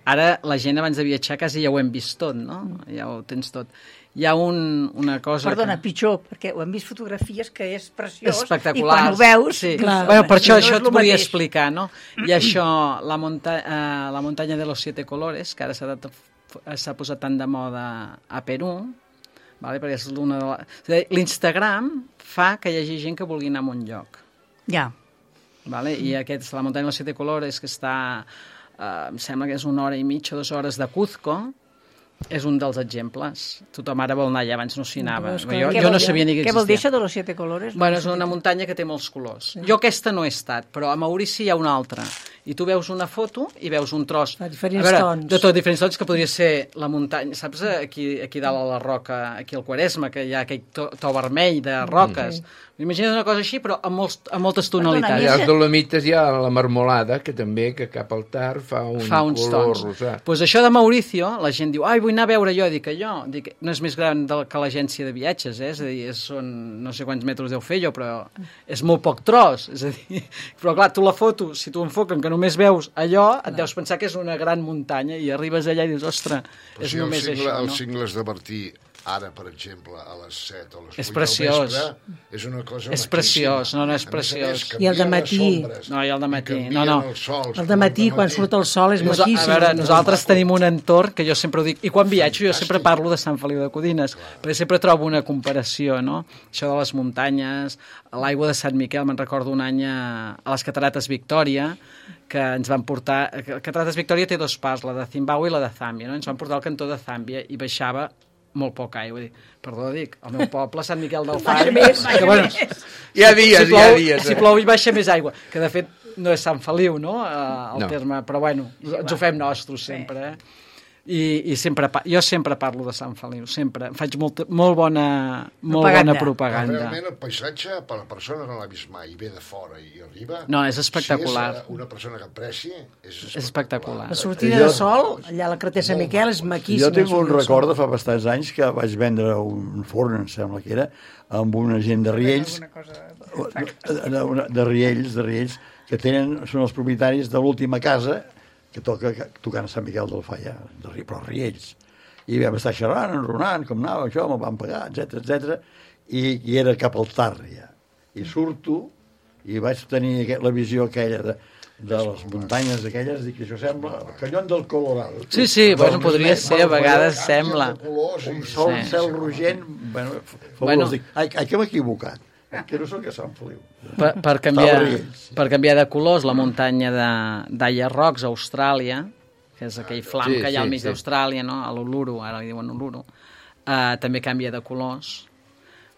Speaker 9: ara la gent abans de viatjar quasi ja ho hem vist tot, no? Ja ho tens tot. Hi ha un, una cosa...
Speaker 6: Perdona,
Speaker 9: que...
Speaker 6: pitjor, perquè ho hem vist fotografies que és preciós
Speaker 9: Espectaculars.
Speaker 6: i quan ho veus...
Speaker 9: Sí.
Speaker 2: Clar.
Speaker 9: Bueno, per això,
Speaker 6: no
Speaker 9: això
Speaker 6: és
Speaker 9: et
Speaker 6: lo
Speaker 9: volia
Speaker 6: mateix.
Speaker 9: explicar, no? I això, la, monta eh, la muntanya de los siete colores, que ara s'ha de- s'ha posat tant de moda a Perú, vale? Perquè és una de la... és a dir, l'Instagram fa que hi hagi gent que vulgui anar a un lloc.
Speaker 6: Ja.
Speaker 9: Vale? I aquest, la muntanya de los siete colores, que està, eh, em sembla que és una hora i mitja, dues hores de Cuzco, és un dels exemples. Tothom ara vol anar allà, abans no s'hi anava.
Speaker 2: Però és que-
Speaker 9: Jo,
Speaker 6: Què
Speaker 9: jo
Speaker 6: vol
Speaker 9: no
Speaker 6: dir?
Speaker 9: sabia ni que
Speaker 6: Què vol dir
Speaker 9: existia.
Speaker 6: això de los siete colores?
Speaker 9: Bueno, és una muntanya que té molts colors. Sí. Jo aquesta no he estat, però a Maurici hi ha una altra. I tu veus una foto i veus un tros.
Speaker 2: De diferents
Speaker 9: a veure,
Speaker 2: tons.
Speaker 9: De tot, diferents tons, que podria ser la muntanya. Saps aquí, aquí dalt a la roca, aquí al Quaresma, que hi ha aquell to, to vermell de roques? Mm. Imagina't una cosa així, però amb, molts, amb moltes tonalitats.
Speaker 4: I als Dolomites hi ha la marmolada, que també, que cap al tard fa un
Speaker 9: fa uns
Speaker 4: color
Speaker 9: tons.
Speaker 4: rosat.
Speaker 9: Pues això de Mauricio, la gent diu, ai, vull anar a veure jo. Dic, jo, dic, no és més gran del, que l'agència de viatges, eh? És a dir, és, són no sé quants metres deu fer jo, però és molt poc tros. És a dir, però clar, tu la foto, si tu enfoquen que només veus allò, et deus pensar que és una gran muntanya i arribes allà i dius, ostres,
Speaker 8: Però
Speaker 9: és
Speaker 8: si
Speaker 9: només
Speaker 8: el cingle,
Speaker 9: això,
Speaker 8: els
Speaker 9: no?
Speaker 8: cingles de Martí, ara, per exemple, a les set o a les
Speaker 9: És
Speaker 8: vuit
Speaker 9: preciós.
Speaker 8: del vespre, és una cosa
Speaker 9: És
Speaker 8: maquíssima.
Speaker 9: preciós, no, no, és
Speaker 8: A més a més,
Speaker 9: preciós.
Speaker 8: canvien
Speaker 2: I el de
Speaker 8: les
Speaker 2: matí.
Speaker 8: ombres,
Speaker 9: No, i el de matí,
Speaker 8: canvien
Speaker 9: no, no.
Speaker 8: els sols,
Speaker 2: El de matí, quan
Speaker 8: matí.
Speaker 2: surt el sol, és
Speaker 9: Nosa-
Speaker 2: maquíssim.
Speaker 9: A veure, nosaltres tenim un entorn que jo sempre ho dic, i quan viatjo jo sempre parlo de Sant Feliu de Codines, perquè sempre trobo una comparació, no? Això de les muntanyes, l'aigua de Sant Miquel, me'n recordo un any a, a les Catarates Victòria, que ens van portar... Catarates Victòria té dos parts, la de Zimbabue i la de Zàmbia, no? Ens van portar al cantó de Zàmbia i baixava molt poca aigua. Dic, perdó, dic, el meu poble, Sant Miquel del Fai...
Speaker 6: més, baixa
Speaker 9: que, bueno,
Speaker 4: Hi ha dies,
Speaker 9: si
Speaker 4: hi ha
Speaker 9: plou,
Speaker 4: dies.
Speaker 9: si
Speaker 4: eh?
Speaker 9: plou hi baixa més aigua, que de fet no és Sant Feliu, no?, eh, el
Speaker 4: No.
Speaker 9: terme, però bueno, ens ho fem nostres sempre, eh? I, i sempre, pa- jo sempre parlo de Sant Feliu, sempre. Em faig molt, molt bona, molt
Speaker 6: Propaganda.
Speaker 9: bona propaganda.
Speaker 8: Realment el paisatge, per a la persona que no l'ha vist mai i ve de fora i arriba...
Speaker 9: No, és espectacular.
Speaker 8: Si és eh, una persona que apreci, és espectacular.
Speaker 9: És espectacular.
Speaker 2: La sortida
Speaker 3: Jo-
Speaker 2: de sol, allà a la Carretera Sant Miquel, és maquíssima.
Speaker 3: Jo tinc un
Speaker 2: sortida de sol.
Speaker 3: record de fa bastants anys que vaig vendre un forn, em sembla que era, amb una gent de Riells, de, de, de Riells, de Riells, que tenen, són els propietaris de l'última casa que toca tocant a Sant Miquel del Fai, de, Ri- però Riells. I vam estar xerrant, enronant, com anava això, me'l van pagar, etcètera, etcètera, i, i era cap al tard, ja. I surto, i vaig tenir aqu- la visió aquella de, de les muntanyes aquelles, dic, això sembla el canyón del Colorado.
Speaker 9: Sí, sí,
Speaker 3: Dels
Speaker 9: bueno, podria
Speaker 3: més
Speaker 9: ser, a vegades
Speaker 3: meravellós,
Speaker 9: sembla.
Speaker 3: un sol,
Speaker 9: Sí.
Speaker 3: sí. cel rogent, bueno, fabulós.
Speaker 9: Bueno.
Speaker 3: Dic, ai, ai, que m'he equivocat, que no sóc a Sant Feliu.
Speaker 9: Per, per, canviar,
Speaker 3: Estava Riells.
Speaker 9: per canviar de colors, la muntanya de- d'Aya Rocks, a Austràlia, que és aquell flam
Speaker 4: Sí,
Speaker 9: que hi ha al
Speaker 4: sí,
Speaker 9: mig
Speaker 4: sí.
Speaker 9: d'Austràlia, no? A l'Uluru, ara li diuen Uluru, uh, també canvia de colors.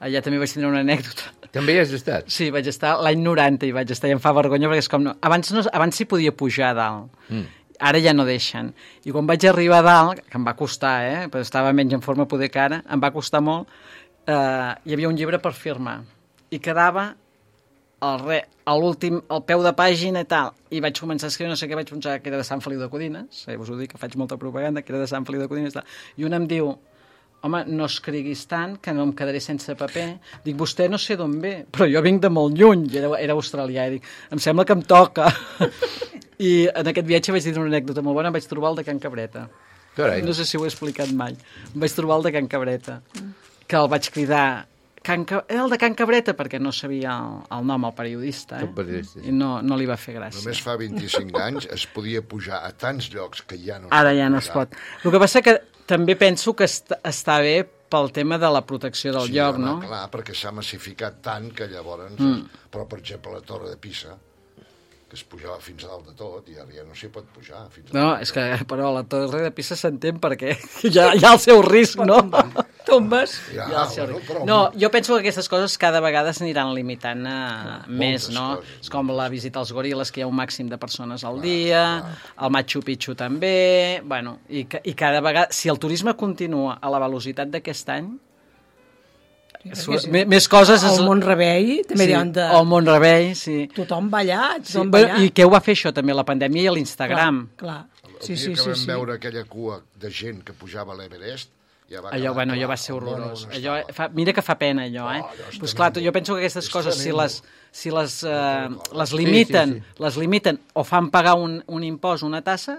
Speaker 9: Allà també vaig tenir una anècdota.
Speaker 4: També hi has estat?
Speaker 9: Sí, vaig estar l'any noranta i vaig estar i em fa vergonya perquè és com... No, abans, no, abans s'hi podia pujar a dalt. Mm. Ara ja no deixen. I quan vaig arribar a dalt, que em va costar, eh? Però estava menys en forma poder que ara, em va costar molt, eh, hi havia un llibre per firmar. I quedava al re, a l'últim, al peu de pàgina i tal. I vaig començar a escriure, no sé què, vaig pensar que era de Sant Feliu de Codines, eh, us ho dic, que faig molta propaganda, que era de Sant Feliu de Codines i tal. I un em diu, home, no escriguis tant, que no em quedaré sense paper. Dic, vostè no sé d'on ve, però jo vinc de molt lluny, era, era australià, i dic, em sembla que em toca. I en aquest viatge vaig dir una anècdota molt bona, em vaig trobar el de Can Cabreta.
Speaker 4: Carai.
Speaker 9: No sé si ho he explicat mai. Em vaig trobar el de Can Cabreta, que el vaig cridar, Can Ca... era el de Can Cabreta, perquè no sabia el, el nom, el periodista, eh?
Speaker 4: El periodista.
Speaker 9: I no, no li va fer gràcia.
Speaker 8: Només fa vint-i-cinc anys es podia pujar a tants llocs que ja no...
Speaker 9: Ara ja no es pot. El que passa que també penso que est està bé pel tema de la protecció del
Speaker 8: sí,
Speaker 9: lloc,
Speaker 8: home,
Speaker 9: no?
Speaker 8: Clar, perquè s'ha massificat tant que llavors... Mm. Però, per exemple, la Torre de Pisa, que es pujava fins a dalt de tot, i ara ja no s'hi pot pujar. Fins a
Speaker 9: No, és que, però la Torre de Pisa s'entén perquè hi ha, hi ha el seu risc, no?
Speaker 2: Tombes.
Speaker 8: Ja,
Speaker 9: Ja, sí,
Speaker 8: bueno, però...
Speaker 9: no, jo penso que aquestes coses cada vegada s'aniran limitant a més,
Speaker 8: moltes
Speaker 9: no?
Speaker 8: coses.
Speaker 9: És com la visita als goril·les, que hi ha un màxim de persones al dia, el Machu Picchu també, bueno, i, ca- i cada vegada, si el turisme continua a la velocitat d'aquest any,
Speaker 2: perquè sí.
Speaker 9: més, més coses...
Speaker 2: El Mont-rebei també
Speaker 9: sí,
Speaker 2: deuen de...
Speaker 9: el Mont-rebei, sí.
Speaker 2: Tothom va allà,
Speaker 9: sí.
Speaker 2: tothom va
Speaker 9: Bueno,
Speaker 2: allà.
Speaker 9: I què ho va fer això també, la pandèmia i l'Instagram?
Speaker 2: Clar, clar.
Speaker 8: El
Speaker 2: Sí,
Speaker 8: dia
Speaker 2: sí,
Speaker 8: que
Speaker 2: sí,
Speaker 8: vam
Speaker 2: sí.
Speaker 8: veure aquella cua de gent que pujava a l'Everest, ja va
Speaker 9: Allò,
Speaker 8: quedar
Speaker 9: bueno,
Speaker 8: clar,
Speaker 9: allò va ser
Speaker 8: el món
Speaker 9: horrorós.
Speaker 8: on
Speaker 9: Allò,
Speaker 8: estava.
Speaker 9: fa, mira que fa pena, allò, eh?
Speaker 8: Oh, allò és
Speaker 9: Pues clar,
Speaker 8: tremendo.
Speaker 9: jo penso que aquestes
Speaker 8: És
Speaker 9: coses, si
Speaker 8: tremendo.
Speaker 9: les, si les, eh, les
Speaker 4: Sí,
Speaker 9: limiten,
Speaker 4: sí, sí.
Speaker 9: les limiten o fan pagar un, un impost, una tassa,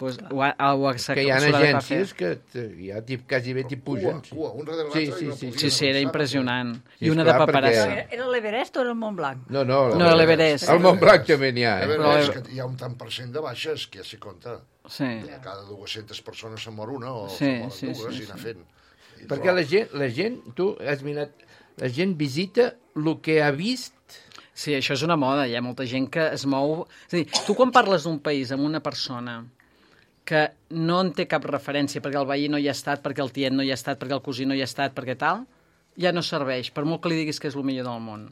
Speaker 9: pues, ho, ha- ho, ha-
Speaker 4: Que hi ha
Speaker 9: s'haurà de fer.
Speaker 4: agències que t- ja tip, quasi bé t'hi pugen.
Speaker 8: Cua, cua, un darrere
Speaker 4: Sí,
Speaker 8: l'altre
Speaker 4: sí,
Speaker 8: i no
Speaker 4: sí,
Speaker 8: podien
Speaker 9: Sí, sí, era
Speaker 8: avançar.
Speaker 9: impressionant.
Speaker 4: Sí,
Speaker 9: I una
Speaker 4: esclar,
Speaker 9: de paperassa.
Speaker 4: perquè-
Speaker 6: Era l'Everest o era el Montblanc?
Speaker 4: No, no.
Speaker 9: No, l'Everest.
Speaker 4: El Montblanc també n'hi ha.
Speaker 8: A
Speaker 4: Eh?
Speaker 8: veure,
Speaker 9: Però-
Speaker 8: és que hi ha un tant per cent de baixes, que ja s'hi compta.
Speaker 9: Sí.
Speaker 8: De cada dues-centes persones se'n mor una o
Speaker 9: Sí,
Speaker 8: se'n moren
Speaker 9: sí,
Speaker 8: dues
Speaker 9: sí,
Speaker 8: i anar
Speaker 9: sí.
Speaker 8: fent. I
Speaker 4: Perquè
Speaker 8: prou.
Speaker 4: la gent, la gent, tu has mirat, la gent visita el que ha vist.
Speaker 9: Sí, això és una moda, hi ha molta gent que es mou... És a dir, tu quan parles d'un país amb una persona que no en té cap referència perquè el veí no hi ha estat, perquè el tiet no hi ha estat, perquè el cosí no hi ha estat, perquè tal, ja no serveix, per molt que li diguis que és el millor del món.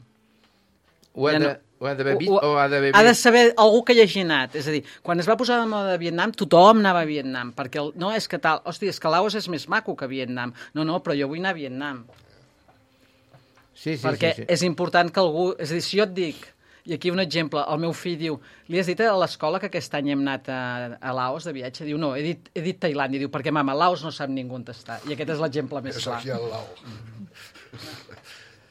Speaker 4: Ho ha
Speaker 9: Ja
Speaker 4: de-
Speaker 9: no-
Speaker 4: ho ha d'haver vist
Speaker 9: Ho-
Speaker 4: o ha d'haver
Speaker 9: Ha de
Speaker 4: vist?
Speaker 9: saber algú que hi hagi anat. És a dir, quan es va posar de moda de Vietnam, tothom anava a Vietnam, perquè el, no és que tal, hòstia, és que Laos és més maco que Vietnam. No, no, però jo vull anar a Vietnam.
Speaker 4: Sí, sí,
Speaker 9: perquè
Speaker 4: sí, sí.
Speaker 9: és important que algú... És a dir, si jo et dic, i aquí un exemple, el meu fill diu, li has dit a l'escola que aquest any hem anat a, a Laos de viatge? Diu, no, he dit, he dit Tailàndia. Diu, perquè, mama, Laos no sap ningú on està. I aquest és l'exemple més
Speaker 8: És
Speaker 9: clar.
Speaker 8: aquí al lau.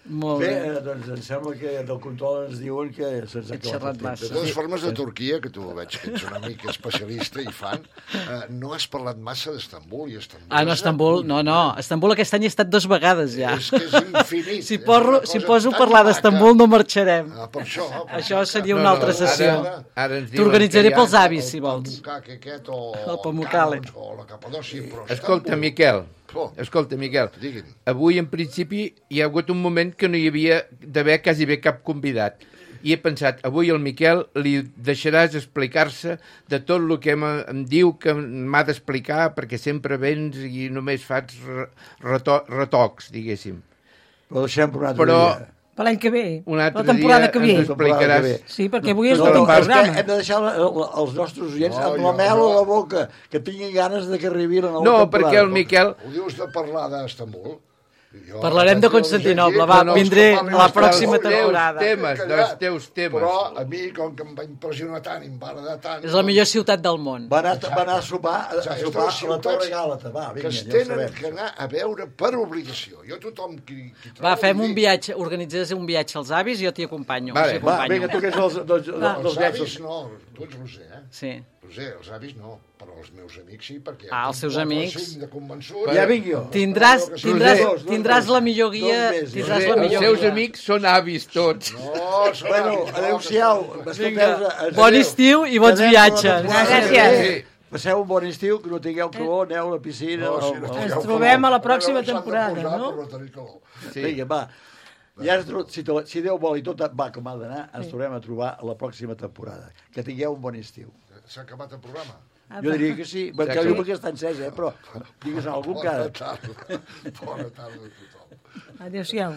Speaker 9: Molt
Speaker 3: Bé,
Speaker 9: bé.
Speaker 3: eh, doncs em sembla que del control ens diuen que se'ns ha
Speaker 9: He xerrat
Speaker 3: acabat el
Speaker 9: massa.
Speaker 8: De
Speaker 3: temps.
Speaker 8: totes formes, de Turquia, que tu veig que ets una mica especialista i fan, eh, no has parlat massa d'Estambul i Estambul.
Speaker 9: Ah, no,
Speaker 8: és
Speaker 9: Estambul,
Speaker 8: agut.
Speaker 9: no, no. Estambul aquest any he estat dos vegades ja.
Speaker 8: És que és infinit.
Speaker 9: Si,
Speaker 8: és
Speaker 9: porro,
Speaker 8: una
Speaker 9: si
Speaker 8: cosa
Speaker 9: poso a
Speaker 8: tan
Speaker 9: parlar
Speaker 8: maca.
Speaker 9: d'Estambul no marxarem.
Speaker 8: Ah, per això. Per
Speaker 9: Això seria
Speaker 4: No,
Speaker 9: una
Speaker 4: no,
Speaker 9: altra
Speaker 4: ara-
Speaker 9: sessió.
Speaker 4: ara ens diuen
Speaker 9: T'organitzaré
Speaker 4: que hi ha-
Speaker 9: pels avis, si vols.
Speaker 8: El Pamukkale aquest o
Speaker 9: El Pamukkale.
Speaker 8: Kamos o la Capadòcia, però
Speaker 4: Escolta,
Speaker 8: Estambul-
Speaker 4: Miquel,
Speaker 8: Oh.
Speaker 4: escolta, Miquel,
Speaker 8: Digui'm.
Speaker 4: avui en principi hi ha hagut un moment que no hi havia d'haver quasi bé cap convidat. I he pensat, avui al Miquel li deixaràs explicar-se de tot el que em, em diu que m'ha d'explicar, perquè sempre vens i només fas re- reto, retocs, diguéssim.
Speaker 3: Però deixem per un altre
Speaker 4: Però-
Speaker 3: dia.
Speaker 2: Per l'any que ve.
Speaker 4: Un altre
Speaker 2: la temporada
Speaker 4: dia
Speaker 2: que ve.
Speaker 4: ens explicaràs.
Speaker 3: que ve.
Speaker 2: Sí, perquè avui és
Speaker 3: No,
Speaker 2: l'últim
Speaker 3: no, és que
Speaker 2: programa.
Speaker 3: hem de deixar la, la, els nostres oients
Speaker 8: No,
Speaker 3: amb
Speaker 8: jo-
Speaker 3: la mel
Speaker 8: jo-
Speaker 3: a la boca, que tinguin ganes de que arribi la nova
Speaker 4: No,
Speaker 3: temporada.
Speaker 4: perquè el Miquel...
Speaker 8: Ho dius de parlar d'Estambul? Jo-
Speaker 9: Parlarem de Constantinoble, va,
Speaker 8: No, no,
Speaker 9: vindré
Speaker 8: els que
Speaker 9: a la
Speaker 8: parlin
Speaker 9: pròxima
Speaker 8: d'Estambul,
Speaker 9: temporada.
Speaker 8: jo
Speaker 4: Temes,
Speaker 8: callat,
Speaker 4: dels teus temes.
Speaker 8: Però a mi, com que em va impressionar tant i em va agradar tant...
Speaker 9: És la millor ciutat del món.
Speaker 3: Va anar, va anar a sopar, a, a
Speaker 8: Exacte,
Speaker 3: sopar
Speaker 8: és
Speaker 3: a la
Speaker 8: ciutats
Speaker 3: Torre Gàlata. Va,
Speaker 8: que
Speaker 3: vinga,
Speaker 8: es
Speaker 3: ja ho
Speaker 8: tenen
Speaker 3: sabem.
Speaker 8: que anar a veure per obligació. Jo tothom qui, qui trobo...
Speaker 9: Va, fem
Speaker 8: li
Speaker 9: un
Speaker 8: dic,
Speaker 9: viatge, organitzes un viatge als avis i jo t'hi acompanyo.
Speaker 4: Vale.
Speaker 9: us hi
Speaker 3: Va,
Speaker 9: acompanyo.
Speaker 3: vinga, tu que ets dels, dels, dels,
Speaker 8: Els
Speaker 3: dels
Speaker 8: avis
Speaker 3: nets.
Speaker 8: no, tu ets Roser, eh?
Speaker 9: Sí.
Speaker 8: Roser, els avis no, però els meus amics sí, perquè...
Speaker 9: Ah, els seus
Speaker 8: tinc quatre o
Speaker 9: amics.
Speaker 8: cinc de convençuts.
Speaker 3: Ja vinc jo.
Speaker 9: Tindràs,
Speaker 8: Espero que sí.
Speaker 9: tindràs,
Speaker 3: Dos, dos
Speaker 9: tindràs
Speaker 3: mesos.
Speaker 9: la millor guia...
Speaker 3: Dos mesos.
Speaker 9: Tindràs
Speaker 4: Els
Speaker 9: la millor
Speaker 4: seus
Speaker 9: guia.
Speaker 4: amics són avis tots.
Speaker 8: No, són
Speaker 3: Bueno,
Speaker 8: avis, no,
Speaker 3: adéu-siau.
Speaker 8: que-
Speaker 3: Escolteu,
Speaker 9: Bon estiu i bons
Speaker 3: Quedem
Speaker 9: viatges.
Speaker 3: per la temporada que
Speaker 2: Gràcies.
Speaker 3: ve. Passeu un bon estiu, que no tingueu calor, aneu a la piscina.
Speaker 8: No, sí,
Speaker 3: al-
Speaker 8: no,
Speaker 3: al-
Speaker 2: Ens
Speaker 8: ja ho
Speaker 2: trobem
Speaker 8: fareu.
Speaker 2: a la pròxima
Speaker 8: S'han de
Speaker 2: temporada,
Speaker 8: posar
Speaker 2: no?
Speaker 8: per no tenir calor.
Speaker 4: Sí.
Speaker 3: Vinga, va. Ja ens, tro- si, to- si Déu vol i tot va com ha d'anar, ens tornem a trobar a la pròxima temporada. Que tingueu un bon estiu.
Speaker 8: S'ha acabat el programa.
Speaker 3: Jo diria que sí, perquè
Speaker 4: Sí.
Speaker 3: diu que està encès, eh? Però digues algú que...
Speaker 8: Bona tarda. Bona tarda a tothom.
Speaker 2: Adéu-siau.